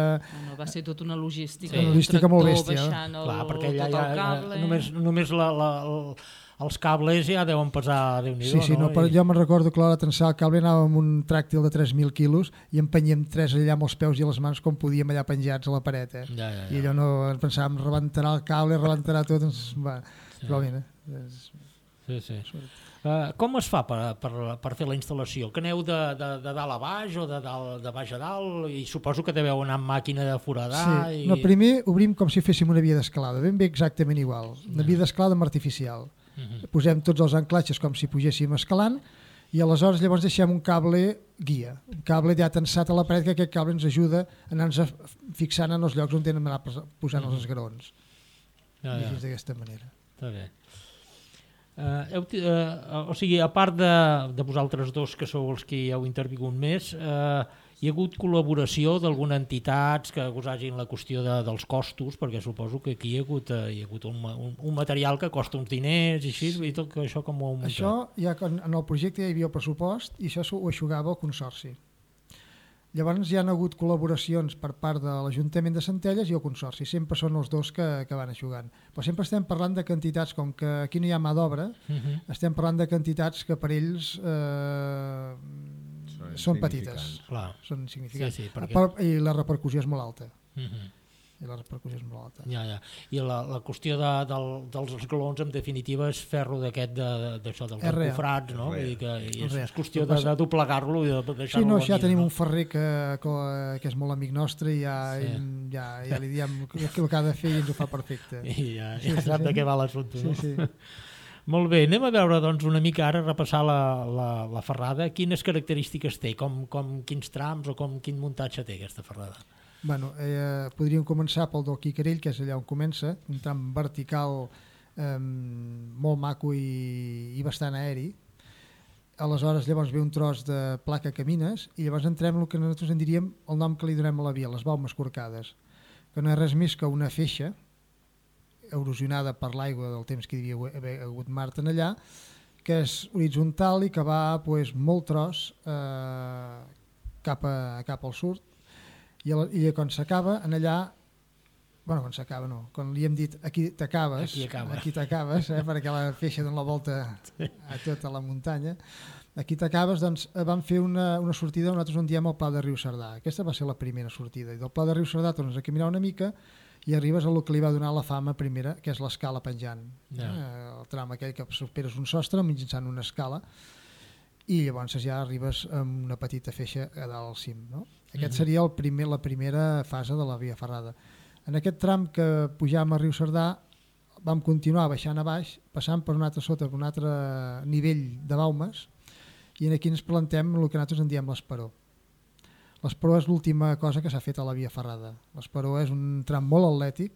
No, va ser tota una logística. Una un logística molt tractor bèstia, baixant Clar, perquè tot allà el cable. només els cables ja deuen pesar Déu-n'hi-do, Sí, no? Però jo me'n recordo que a l'hora de tensar el cable anàvem amb un tràctil de 3.000 quilos i empenyem 3 allà amb els peus i les mans com podíem allà penjats a la paret. Ja. I allò no ens pensàvem, rebentarà el cable, rebentarà tot, va. Però mira, Sí. Com es fa per fer la instal·lació? Que aneu de dalt a baix o de baix a dalt? I suposo que deveu anar amb màquina de foradar. sí. No, primer obrim com si féssim una via d'escalada, ben bé exactament igual, una via d'escalada amb artificial. Posem tots els anclatges com si pugéssim escalant i aleshores llavors deixem un cable guia, un cable ja tensat a la paret, que aquest cable ens ajuda a anar-nos fixant en els llocs on tenen d'anar posant els esgraons. Ja. I així d'aquesta manera. Està bé. O sigui, a part de vosaltres dos, que sou els que hi heu intervingut més, hi ha hagut col·laboració d'alguna entitat que us hagin la qüestió dels costos, perquè suposo que aquí hi ha hagut un material que costa uns diners i així, i tot això com ho heu muntat? Això, ja en el projecte ja hi havia el pressupost i això ho aixugava el Consorci. Llavors hi ha hagut col·laboracions per part de l'Ajuntament de Centelles i el Consorci, sempre són els dos que van aixugant. Però sempre estem parlant de quantitats, com que aquí no hi ha mà d'obra, estem parlant de quantitats que per ells són petites, Clar. són insignificants. Sí, perquè... I la repercussió és molt alta. I la repercussió és molt alta. Ja. I la qüestió dels esglaons, en definitiva, és ferro d'aquest d'això, dels encofrats, no? Vull dir que és qüestió de doblegar-lo i de deixar-lo... Sí, no, ja tenim un ferrer que és molt amic nostre i ja li diem el que ha de fer i ens ho fa perfecte. I ja sap de què va l'assumpte. Sí. Molt bé, anem a veure doncs, una mica ara, repassar la ferrada. Quines característiques té? Quins trams o quin muntatge té aquesta ferrada? Bueno, podríem començar pel del Quicarell, que és allà on comença, un tram vertical molt maco i bastant aeri. Aleshores llavors ve un tros de placa camines i llavors entrem en el que nosaltres en diríem el nom que li donem a la via, les baumes corcades, que no és res més que una feixa erosionada per l'aigua del temps que hi havia hagut mar en allà, que és horitzontal i que va molt tros cap al sud. I quan s'acaba, en allà, quan s'acaba no, quan li hem dit aquí t'acabes, perquè la feixa dona la volta a tota la muntanya, aquí t'acabes, doncs vam fer una sortida on nosaltres en diem el Pla de Riu Cerdà. Aquesta va ser la primera sortida, i del Pla de Riu Cerdà tornes a caminar una mica i arribes a lo que li va donar la fama primera, que és l'escala penjant. El tram aquell que superes un sostre mitjançant una escala, i llavors ja arribes amb una petita feixa a dalt al cim, no? Aquest seria la primera fase de la via ferrada. En aquest tram que pujàvem a Riu Cerdà vam continuar baixant a baix, passant per un altre nivell de baumes, i aquí ens plantem el que nosaltres en diem l'esperó. L'esperó és l'última cosa que s'ha fet a la via ferrada. L'esperó és un tram molt atlètic,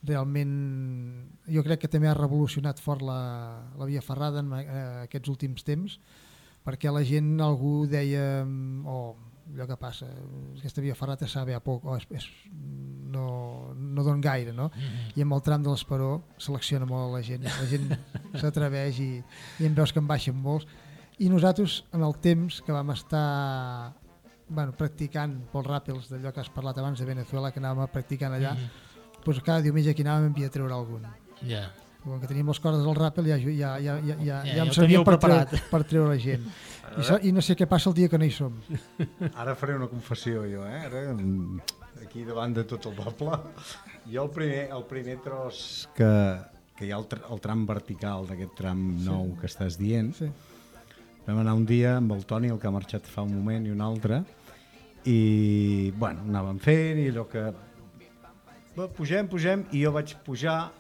realment jo crec que també ha revolucionat fort la via ferrada en aquests últims temps, perquè la gent, algú deia allò que passa, aquesta via ferrata sabe a poc, no don gaire, no? I amb el tram de l'Esperó selecciona molt la gent s'atreveix i en veus que en baixen molts, i nosaltres en el temps que vam estar practicant pels ràpels d'allò que has parlat abans de Venezuela, que anàvem practicant allà, doncs cada diumenge aquí anàvem i havia de treure algun. Com que teníem les cordes del ràpel ja em ho servia teníeu per preparat. treure la gent. I no sé què passa el dia que no hi som. Ara faré una confessió jo, Ara, aquí davant de tot el poble. Jo el primer tros que hi ha el tram vertical d'aquest tram nou que estàs dient, vam anar un dia amb el Toni, el que ha marxat fa un moment i un altre, i bueno, anàvem fent i allò que pugem i jo vaig pujar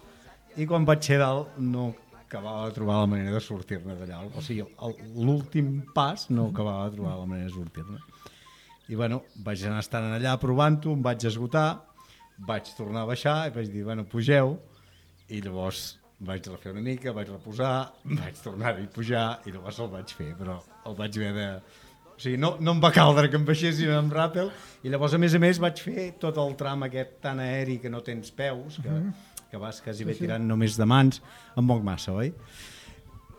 i quan vaig ser dalt no acabava de trobar la manera de sortir-ne d'allà, o sigui, l'últim pas no acabava de trobar la manera de sortir-ne. I bueno, vaig anar estant allà provant-ho, em vaig esgotar, vaig tornar a baixar i vaig dir, bueno, pugeu, i llavors vaig refer una mica, vaig reposar, vaig tornar-hi a pujar i llavors el vaig fer, però el vaig haver de... O sigui, no em va caldre que em baixessin amb ràpel i llavors a més vaig fer tot el tram aquest tan aeri que no tens peus, que vas quasi bé tirant només de mans, em moc massa, oi?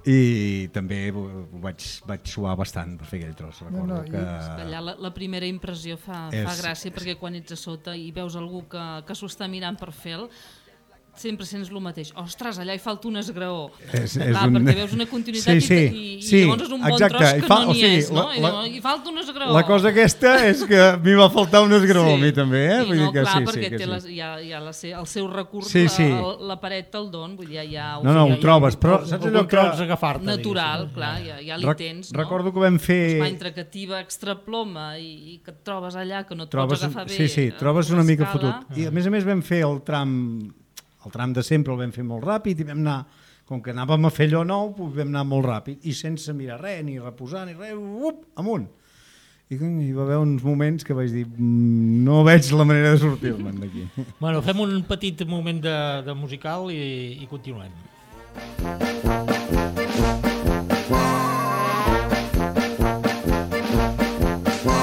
I també vaig suar bastant per fer aquell tros. Recordo que... Allà la primera impressió fa gràcia perquè quan ets a sota i veus algú que s'ho està mirant per fer-lo, sempre sents el mateix. Ostres, allà hi falta un esgraó. Perquè veus una continuïtat i llavors és un bon tros que no n'hi és, no? Hi falta un esgraó. La cosa aquesta és que m'hi va faltar un esgraó a mi també, Vull dir que clar, perquè té el seu recurs, la paret te'l don, vull dir, hi ha... No, ho trobes, però saps allò que... Natural, clar, ja li tens, no? Recordo que vam fer... Va entre que tiba extraploma i que et trobes allà, que no et pots agafar bé... Sí, trobes una mica fotut. I a més vam fer el tram de sempre el vam fer molt ràpid i vam anar, com que anàvem a fer allò nou, vam anar molt ràpid i sense mirar res, ni reposar, ni res, amunt. I hi va haver uns moments que vaig dir, no veig la manera de sortir-me'n d'aquí. Bueno, fem un petit moment de musical i continuem.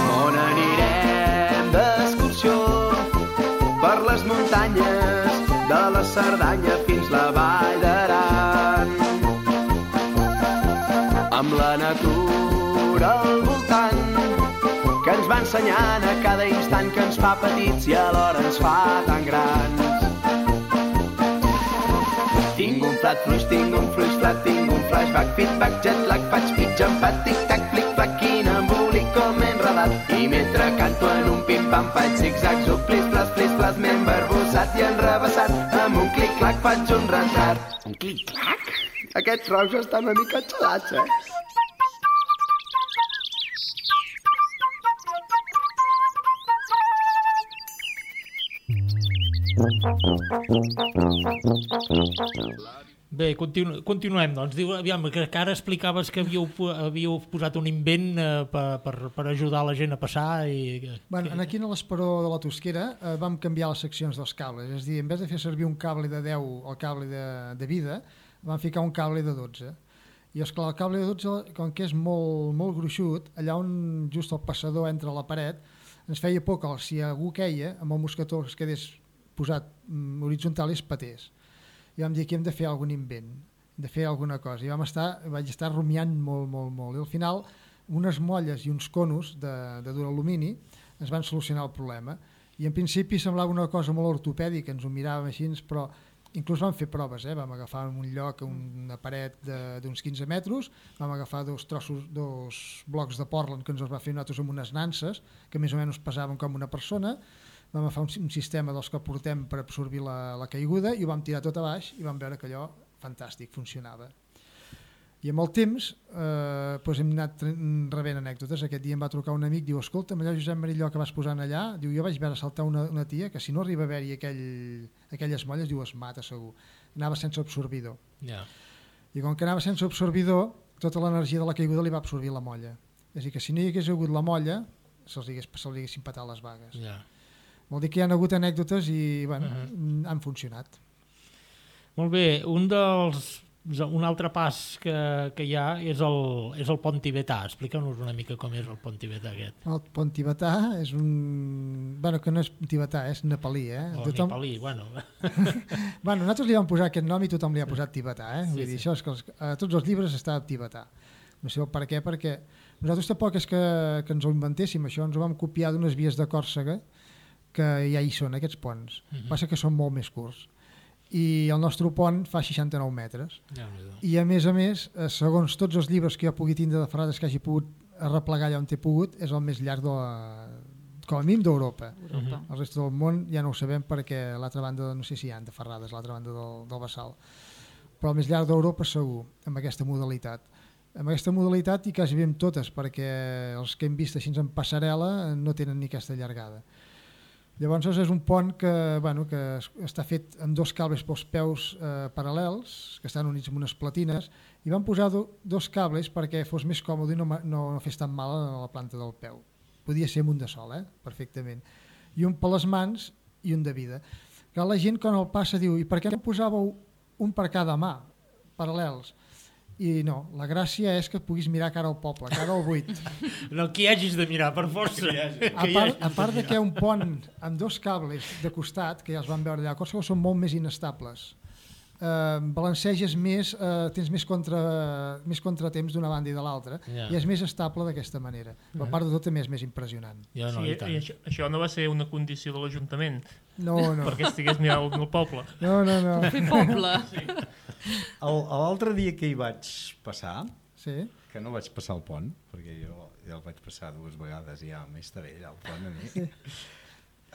On anirem d'excursió per les muntanyes de la Cerdanya fins la Vall d'Aran, amb la natura al voltant que ens va ensenyant a cada instant que ens fa petits i alhora ens fa tan grans. Tinc un plat fluix, tinc un fluix flat, tinc un flashback, feedback, jetlag, faig pitja, empat, tic-tac, flic-flac, quin embolic com enredat. I mentre canto en un pim-pam faig zig-zags o plis-plas, m'he embarbussat i enrebaçat. Amb un clic-clac faig un retrat. Un clic-clac? Aquests rocs estan una mica xalats, Bé, continuem, doncs. Diu, aviam, que ara explicaves que havíeu posat un invent per ajudar la gent a passar. Aquí a l'Esperó de la Tosquera vam canviar les seccions dels cables, és a dir, en vez de fer servir un cable de 10 o cable de vida, vam ficar un cable de 12. I esclar, el cable de 12, com que és molt gruixut, allà on just el passador entra a la paret, ens feia por que si algú queia, amb el mosquetó es quedés posat horitzontal i es patés. I vam dir que hem de fer algun invent, de fer alguna cosa. I vaig estar rumiant molt. I al final, unes molles i uns conos de dur alumini ens van solucionar el problema. I en principi semblava una cosa molt ortopèdica, ens ho miràvem així, però inclús vam fer proves. Vam agafar en un lloc una paret d'uns 15 metres, vam agafar dos blocs de Portland que ens els va fer nosaltres amb unes nanses, que més o menys pesaven com una persona. Vam agafar un sistema dels que portem per absorbir la caiguda i ho vam tirar tot a baix i vam veure que allò, fantàstic, funcionava. I amb el temps hem anat rebent anècdotes. Aquest dia em va trucar un amic, diu, escolta'm, allò Josep Marilló que vas posant allà, diu, jo vaig veure saltar una tia que si no arriba a haver-hi aquelles molles, diu, es mata segur. Anava sense absorbidor. I com que anava sense absorbidor, tota l'energia de la caiguda li va absorbir la molla. És a dir, que si no hi hagués hagut la molla, se'ls haguessin patat les vagues. Vol dir que hi ha hagut anècdotes i han funcionat. Molt bé, un altre pas que hi ha és el pont tibetà. Explica'ns una mica com és el pont tibetà aquest. El pont tibetà és que no és tibetà, és nepalí. Nepalí, bueno. Nosaltres li vam posar aquest nom i tothom li ha posat tibetà. Vull dir, això és que a tots els llibres està tibetà. No sé per què, perquè nosaltres tampoc és que ens ho inventéssim, això ens ho vam copiar d'unes vies de Còrsega que ja hi són, aquests ponts. Passa que són molt més curts. i el nostre pont fa 69 metres. I a més, segons tots els llibres que jo pugui tindre de ferrades que hagi pogut arreplegar allà on he pogut, és el més llarg com a mínim d'Europa. El reste del món ja no ho sabem perquè l'altra banda, no sé si hi ha de ferrades, l'altra banda del Bassal. Però el més llarg d'Europa segur, amb aquesta modalitat. Amb aquesta modalitat i quasi bé amb totes, perquè els que hem vist així en passarel·la no tenen ni aquesta llargada. Llavors és un pont que està fet amb 2 cables pels peus paral·lels, que estan units amb unes platines, i van posar 2 cables perquè fos més còmode i no fes tan mal a la planta del peu. Podia ser amb un de sol, perfectament. I un per les mans i un de vida. Que la gent quan el passa diu, i per què no posàveu un per cada mà, paral·lels? I no, la gràcia és que puguis mirar cara al poble, cara al buit. No que hi hagis de mirar, per força. A part de que hi ha un pont amb 2 cables de costat, que ja els vam veure allà, coses que són molt més inestables. Balanceges més, tens més contratemps d'una banda i de l'altra, i és més estable d'aquesta manera. Però a part de tot també és més impressionant. I això no va ser una condició de l'Ajuntament? No. Perquè estigués mirant el poble? No. Fer poble. L'altre dia que hi vaig passar, que no vaig passar el pont, perquè jo ja el vaig passar 2 vegades i ja m'és bé allà el pont a mi.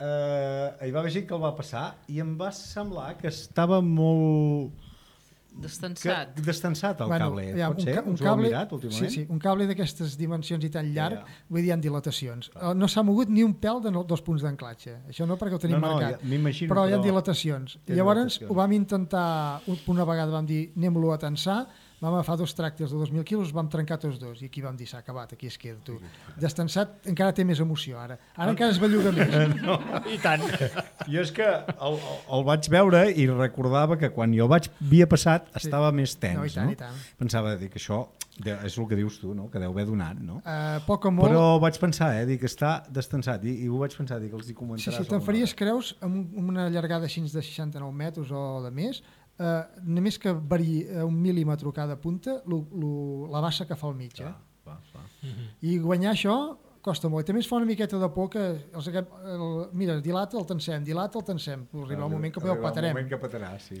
Hi va haver gent que el va passar i em va semblar que estava molt destensat el cable. Pot ser? Us ho heu mirat últimament? Sí, un cable d'aquestes dimensions i tan llarg, vull dir, hi ha dilatacions. No s'ha mogut ni un pèl dels punts d'anclatge. Això no, perquè ho tenim marcat. Però hi ha dilatacions. Llavors ho vam intentar, una vegada vam dir anem-lo a tensar, vam agafar 2 tràctors de 2.000 quilos, vam trencar tots 2 i aquí vam dir s'ha acabat, aquí es queda tu. Destensat encara té més emoció ara encara es belluga més. I tant. Jo és que el vaig veure i recordava que quan jo havia passat estava més tens, i tant. Pensava que això és el que dius tu, no? Que deu haver donat, no? Poc o molt. Però vaig pensar, que està destensat i ho vaig pensar, que els hi comentaràs. Si te'n faries creus amb una llargada així de 69 metres o de més, només que variï 1 mil·límetre cada punta la bassa que fa al mig. I guanyar això costa molt. I també es fa una miqueta de por que mira, dilata, el tensem, arriba el moment que el patarem. El moment que patarà, sí.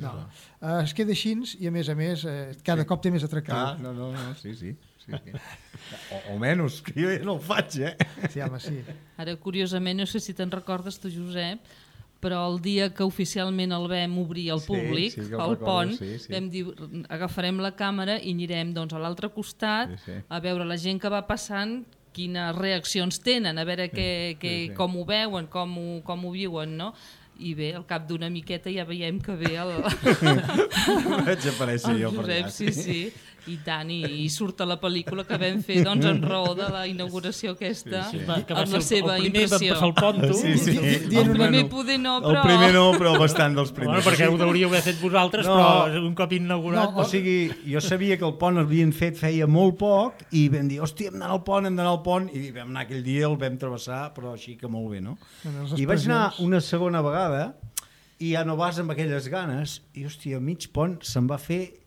Es queda així i a més cada cop té més atractiu. No, sí. Almenys, que jo ja no el faig, Sí, home, sí. Ara, curiosament, no sé si te'n recordes tu, Josep, però el dia que oficialment el vam obrir al públic, al pont, vam dir, agafarem la càmera i anirem a l'altre costat a veure la gent que va passant, quines reaccions tenen, a veure com ho veuen, com ho viuen, no? I bé, al cap d'una miqueta ja veiem que ve vaig aparèixer jo per allà. Sí, i tant, i surt a la pel·lícula que vam fer en raó de la inauguració aquesta, amb la seva impressió. El primer va passar el pont, tu? El primer poder no, però... El primer no, però bastant dels primers. Perquè ho hauríeu haver fet vosaltres, però un cop inaugurat... O sigui, jo sabia que el pont l'havien fet feia molt poc i vam dir, hòstia, hem d'anar al pont, i vam anar aquell dia, el vam travessar, però així que molt bé, no? I vaig anar una segona vegada i ja no vas amb aquelles ganes i, hòstia, mig pont se'n va fer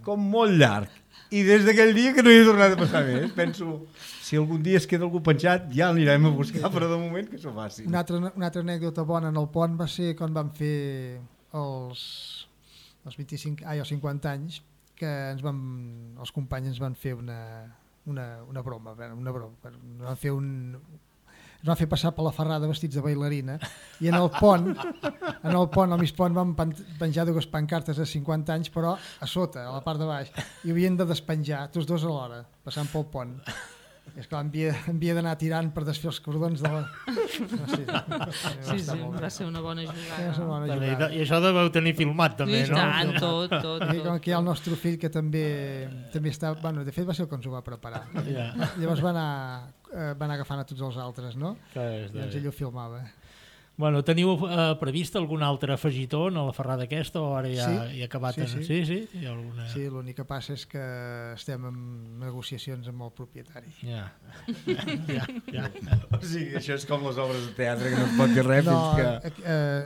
com molt llarg. I des d'aquell dia que no hi he tornat a passar més. Penso, si algun dia es queda algú penjat, ja l'anirem a buscar, però de moment que s'ho faci. Una altra anècdota bona en el pont va ser quan vam fer els 25 o 50 anys, que els companys ens van fer una broma. Ens van fer passar per la ferrada vestits de bailarina i en el pont, al mig pont, vam penjar 2 pancartes de 50 anys, però a sota, a la part de baix, i havien de despenjar, tots 2 alhora, passant pel pont. I esclar, havia d'anar tirant per desfer els cordons de la... Sí, va ser una bona jugada. I això deveu tenir filmat, també, no? I tant, tot. I com que hi ha el nostre fill, que també està... Bueno, de fet va ser el que ens ho va preparar. Llavors va anar agafant a tots els altres, no? I doncs ell ho filmava. Bueno, teniu previst algun altre afegitó en la ferrada aquesta o ara ja hi ha acabat? Sí. Sí, l'únic que passa és que estem en negociacions amb el propietari. Ja. O sigui, això és com les obres de teatre, que no es pot dir res fins que...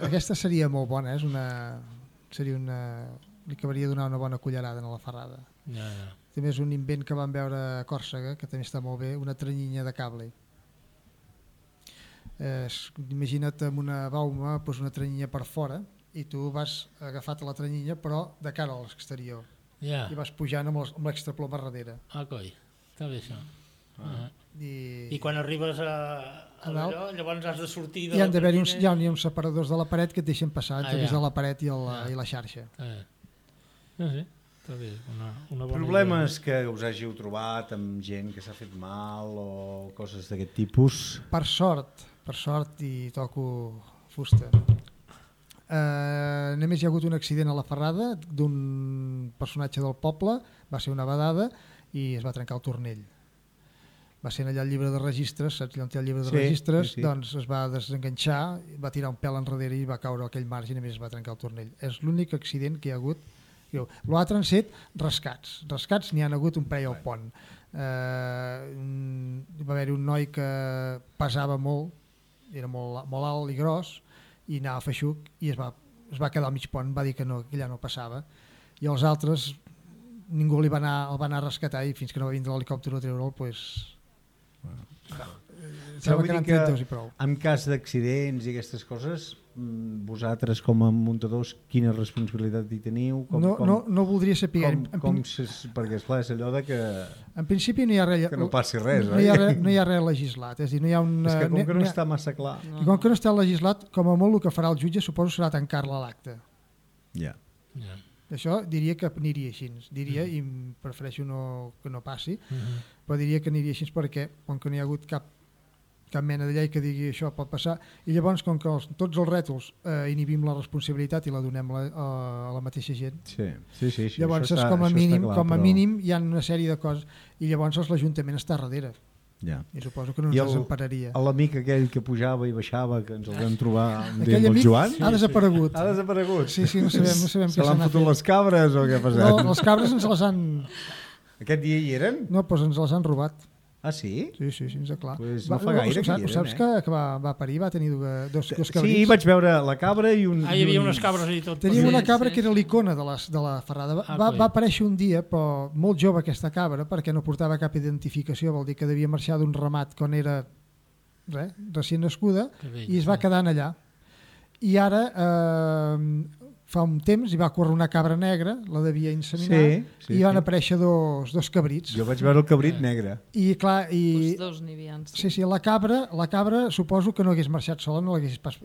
Aquesta seria molt bona, li acabaria de donar una bona cullerada a la ferrada. També és un invent que vam veure a Còrsega, que també està molt bé, una trenyinya de cable. Imagina't amb una bauma una trenyinya per fora i tu vas agafat a la tranyilla però de cara a l'exterior Ja. i vas pujant amb l'extraplom a darrere. Coi, està bé això. I I quan arribes a dalt, allò, llavors has de sortir de hi la han d'haver-hi tranyina. hi ha uns separadors de la paret que et deixen passar entre ja. de la paret i la xarxa. No sé, està bé, una bona Problemes que us hàgiu trobat amb gent que s'ha fet mal o coses d'aquest tipus? Per sort, i toco fusta. Només hi ha hagut un accident a la Ferrada d'un personatge del poble, va ser una vedada i es va trencar el tornell. Va ser allà el llibre de registres, saps allà on té el llibre de registres? Sí. Doncs es va desenganxar, va tirar un pèl enrere i va caure a aquell marge i només es va trencar el tornell. És l'únic accident que hi ha hagut. L'altre han set rescats. Rescats n'hi ha hagut un parell al pont. Va haver-hi un noi que pesava molt, era molt alt i gros, i anava feixuc i es va quedar al mig pont, va dir que allà no passava. I els altres, ningú el va anar a rescatar i fins que no va vindre l'helicòpter a treure'l, doncs... Vull dir que i prou. en cas d'accidents i aquestes coses, vosaltres com a muntadors quina responsabilitat hi teniu? No voldria saber. Perquè esclar, és allò de que... En principi no hi ha res, que no passi res, no hi ha res legislat, és a dir, no hi ha és que com que no està massa clar... I com que no està legislat, com a molt el que farà el jutge suposo serà tancar-la a l'acte. Ja. Això diria que aniria així, i prefereixo que no passi, però diria que aniria així perquè com que no hi ha hagut cap mena de llei que digui això pot passar, i llavors com que tots els rètols inhibim la responsabilitat i la donem a la mateixa gent, sí, llavors és com a mínim hi ha una sèrie de coses i llavors l'Ajuntament està darrere. Ja. I suposo que no ens desempararia. L'amic aquell que pujava i baixava, que ens el vam trobar aquell amic Joan, ha desaparegut. Ha desaparegut? Sí, no sabem se l'han fotut les cabres o què ha passat? No, les cabres ens les han... Aquest dia hi eren? No, doncs ens les han robat. Ah, sí? Sí, és clar. Pues no fa gaire que hi eren, saps que va parir, va tenir dos cabrits? Sí, vaig veure la cabra i un... hi havia unes cabres i tot. Teníem una cabra que era l'icona de la Ferrada. Va aparèixer un dia, però molt jove aquesta cabra, perquè no portava cap identificació, vol dir que devia marxar d'un ramat quan era recient nascuda, i es va quedar allà. I ara, fa un temps, hi va córrer una cabra negra, la devia inseminar, i van aparèixer dos cabrits. Jo vaig veure el cabrit negre. I clar... Els dos n'hi havia. Sí, la cabra suposo que no hagués marxat sola, no l'hagués pas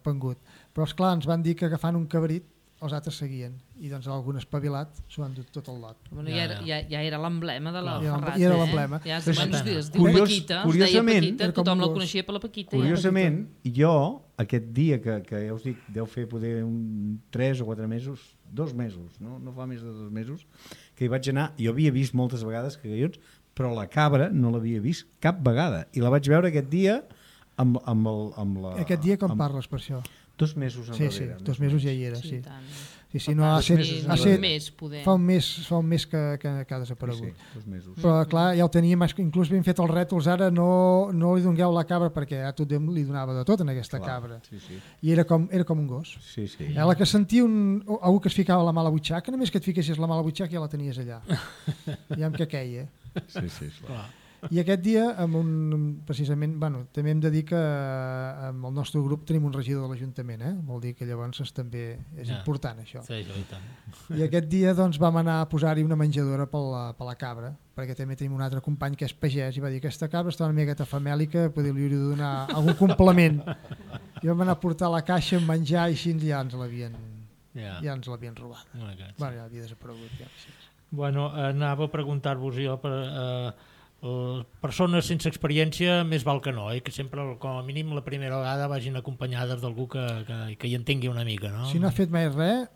pengut. Però esclar, ens van dir que agafant un cabrit els altres seguien, i doncs algun espavilat s'ho han dut tot el lot. Bueno, ja era l'emblema de la Ferrada. Ja era l'emblema. Ja es diu Paquita, es deia Paquita, tothom la coneixia per la Paquita. Curiosament, jo, aquest dia que ja us dic, deu fer poder 3 o 4 mesos, 2 mesos, no fa més de 2 mesos, que hi vaig anar, jo havia vist moltes vegades cagallons, però la cabra no l'havia vist cap vegada, i la vaig veure aquest dia amb la... Aquest dia com parles per això? 2 mesos enrere. Sí, 2 mesos ja hi era, sí. Sí, no, fa un mes que ha desaparegut. Sí, 2 mesos. Però clar, ja ho teníem, inclús ben fet els rètols, ara no li dongueu la cabra perquè a tothom li donava de tot en aquesta cabra. I era com un gos. La que sentia algú que es ficava la mà a la butxaca, només que et fiquessis la mà a la butxaca ja la tenies allà. Ja amb què queia. Sí, clar. I aquest dia, precisament, també hem de dir que amb el nostre grup tenim un regidor de l'Ajuntament, vol dir que llavors també és important això. Sí, i tant. I aquest dia doncs, vam anar a posar-hi una menjadora per la cabra, perquè també tenim un altre company que és pagès i va dir que aquesta cabra està una miqueta famèlica, li hauria de donar algun complement. I vam anar a portar la caixa amb menjar i així ja ens l'havien robat. Ja havia desaparegut. Bueno, anava a preguntar-vos jo persones sense experiència més val que no, que sempre com a mínim la primera vegada vagin acompanyades d'algú que hi entengui una mica, no? Si no ha fet mai res,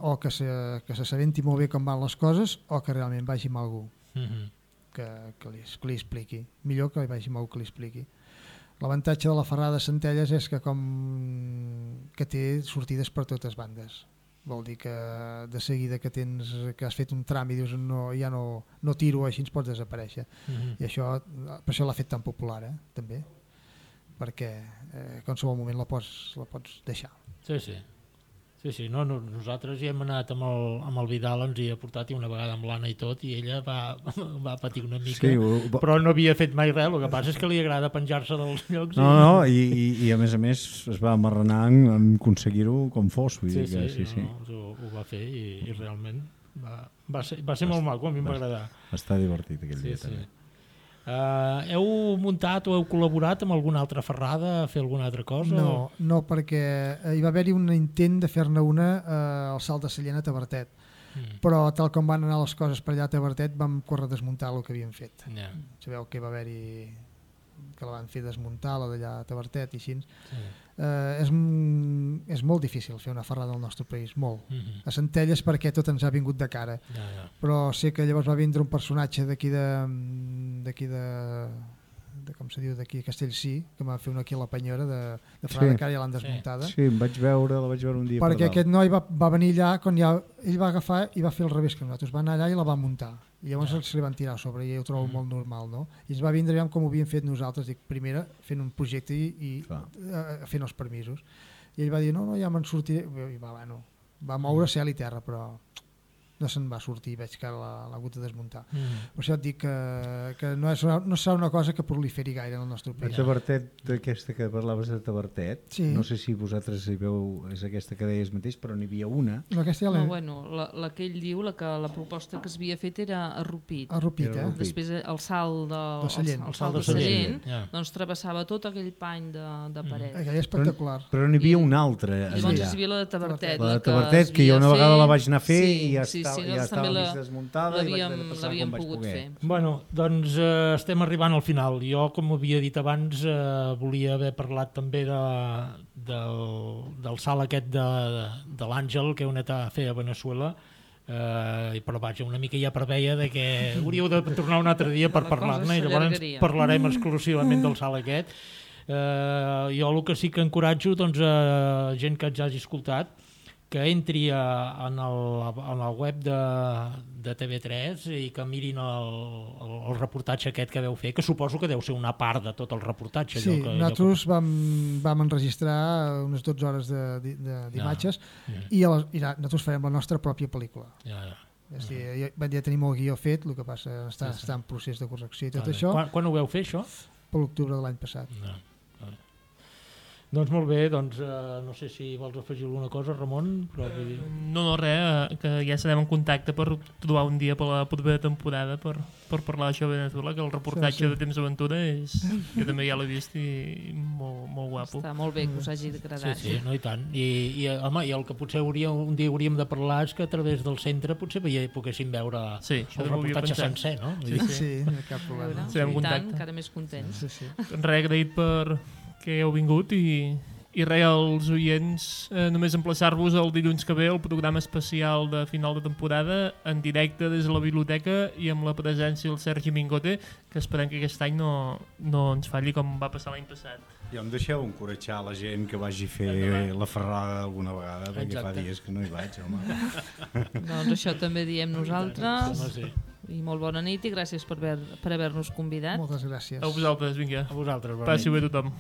o que s'assabenti molt bé com van les coses, o que realment vagi amb algú que li expliqui. Millor que vagi amb algú que li expliqui. L'avantatge de la Ferrada de Centelles és que té sortides per totes bandes. Vol dir que de seguida que has fet un tram i dius ja no tiro, així ens pots desaparèixer. I això, per això l'ha fet tan popular, també, perquè en qualsevol moment la pots deixar. Sí. Sí, no, nosaltres hi hem anat amb el Vidal, ens hi ha portat i una vegada amb l'Anna i tot, i ella va patir una mica, però no havia fet mai res, el que passa és que li agrada penjar-se dels llocs. No, i a més es va amarranar en aconseguir-ho com fos. Vull dir que, sí. Ho va fer i realment va ser molt maco, a mi em va agradar. Va estar divertit aquell dia també. Heu muntat o heu col·laborat amb alguna altra ferrada a fer alguna altra cosa? No, perquè hi va haver-hi un intent de fer-ne una al Salt de Sallent a Tavertet, però tal com van anar les coses per allà a Tavertet vam córrer a desmuntar el que havíem fet. Sabeu que va haver-hi que la van fer desmuntar, la d'allà a Tavertet i així. És molt difícil fer una ferrada al nostre país, molt. A Centelles perquè tot ens ha vingut de cara. Però sé que llavors va vindre un personatge d'aquí com se diu, d'aquí a Castellcí, que va fer una aquí a la Penyora de ferrada de cara i l'han desmuntada. Sí, la vaig veure un dia perquè aquest noi va venir allà quan ell va agafar i va fer el revés que nosaltres, va anar allà i la va muntar i llavors se li van tirar a sobre i ho trobo molt normal, no? I ens va vindre com ho havíem fet nosaltres, dic, primera fent un projecte i fent els permisos, i ell va dir no, ja me'n sortiré, i va moure cel i terra, però no se'n va sortir, veig que l'ha hagut de desmuntar. Per això et dic que no serà una cosa que proliferi gaire en el nostre país. La Tavertet, aquesta que parlaves de Tavertet, no sé si vosaltres hi veu, és aquesta que deies mateix, però n'hi havia una. La que ell diu, la proposta que s'havia fet era a Rupit. Després el salt de Sallent, doncs travessava tot aquell pany de paret. Aquella espectacular. Però n'hi havia una altra. Llavors hi havia la de Tavertet. La de Tavertet, que jo una vegada la vaig anar a fer i ja estava també mig desmuntada i vaig haver de passar com vaig poder. Bueno, doncs estem arribant al final. Jo, com havia dit abans, volia haver parlat també del salt aquest de l'Àngel que heu anat a fer a Veneçuela, però vaja, una mica ja preveia que hauríeu de tornar un altre dia per parlar-ne i llavors parlarem exclusivament del salt aquest. Jo el que sí que encoratjo a gent que ens hagi escoltat que entri en el web de TV3 i que mirin el reportatge aquest que veu fer, que suposo que deu ser una part de tot el reportatge. Sí, nosaltres vam enregistrar unes 12 hores d'imatges i nosaltres farem la nostra pròpia pel·lícula. Ja tenim el guió fet, el que passa està en procés de correcció i tot això. Quan ho veu fer, això? Per l'octubre de l'any passat. Doncs molt bé, no sé si vols afegir alguna cosa, Ramon. Però... No, res, que ja serem en contacte per trobar un dia per la propera temporada per parlar d'això de Venezuela, que el reportatge de Temps d'Aventura jo també ja l'he vist i molt guapo. Està molt bé que us hagi agradat. Sí, no, i tant. I el que potser un dia hauríem de parlar és que a través del centre potser poguéssim veure el reportatge sencer, no? Sí, no cap problema. I tant, encara més contents. Res, agraït per que heu vingut i res, als oients només emplaçar-vos el dilluns que ve el programa especial de final de temporada en directe des de la biblioteca i amb la presència del Sergi Mingote, que esperem que aquest any no ens falli com va passar l'any passat. I em deixeu encoratjar la gent que vagi a fer la ferrada alguna vegada, perquè fa dies que no hi vaig, home. Doncs això també diem nosaltres. I molt bona nit i gràcies per haver-nos convidat. Moltes gràcies. A vosaltres, vinga. A vosaltres, passi bé tothom.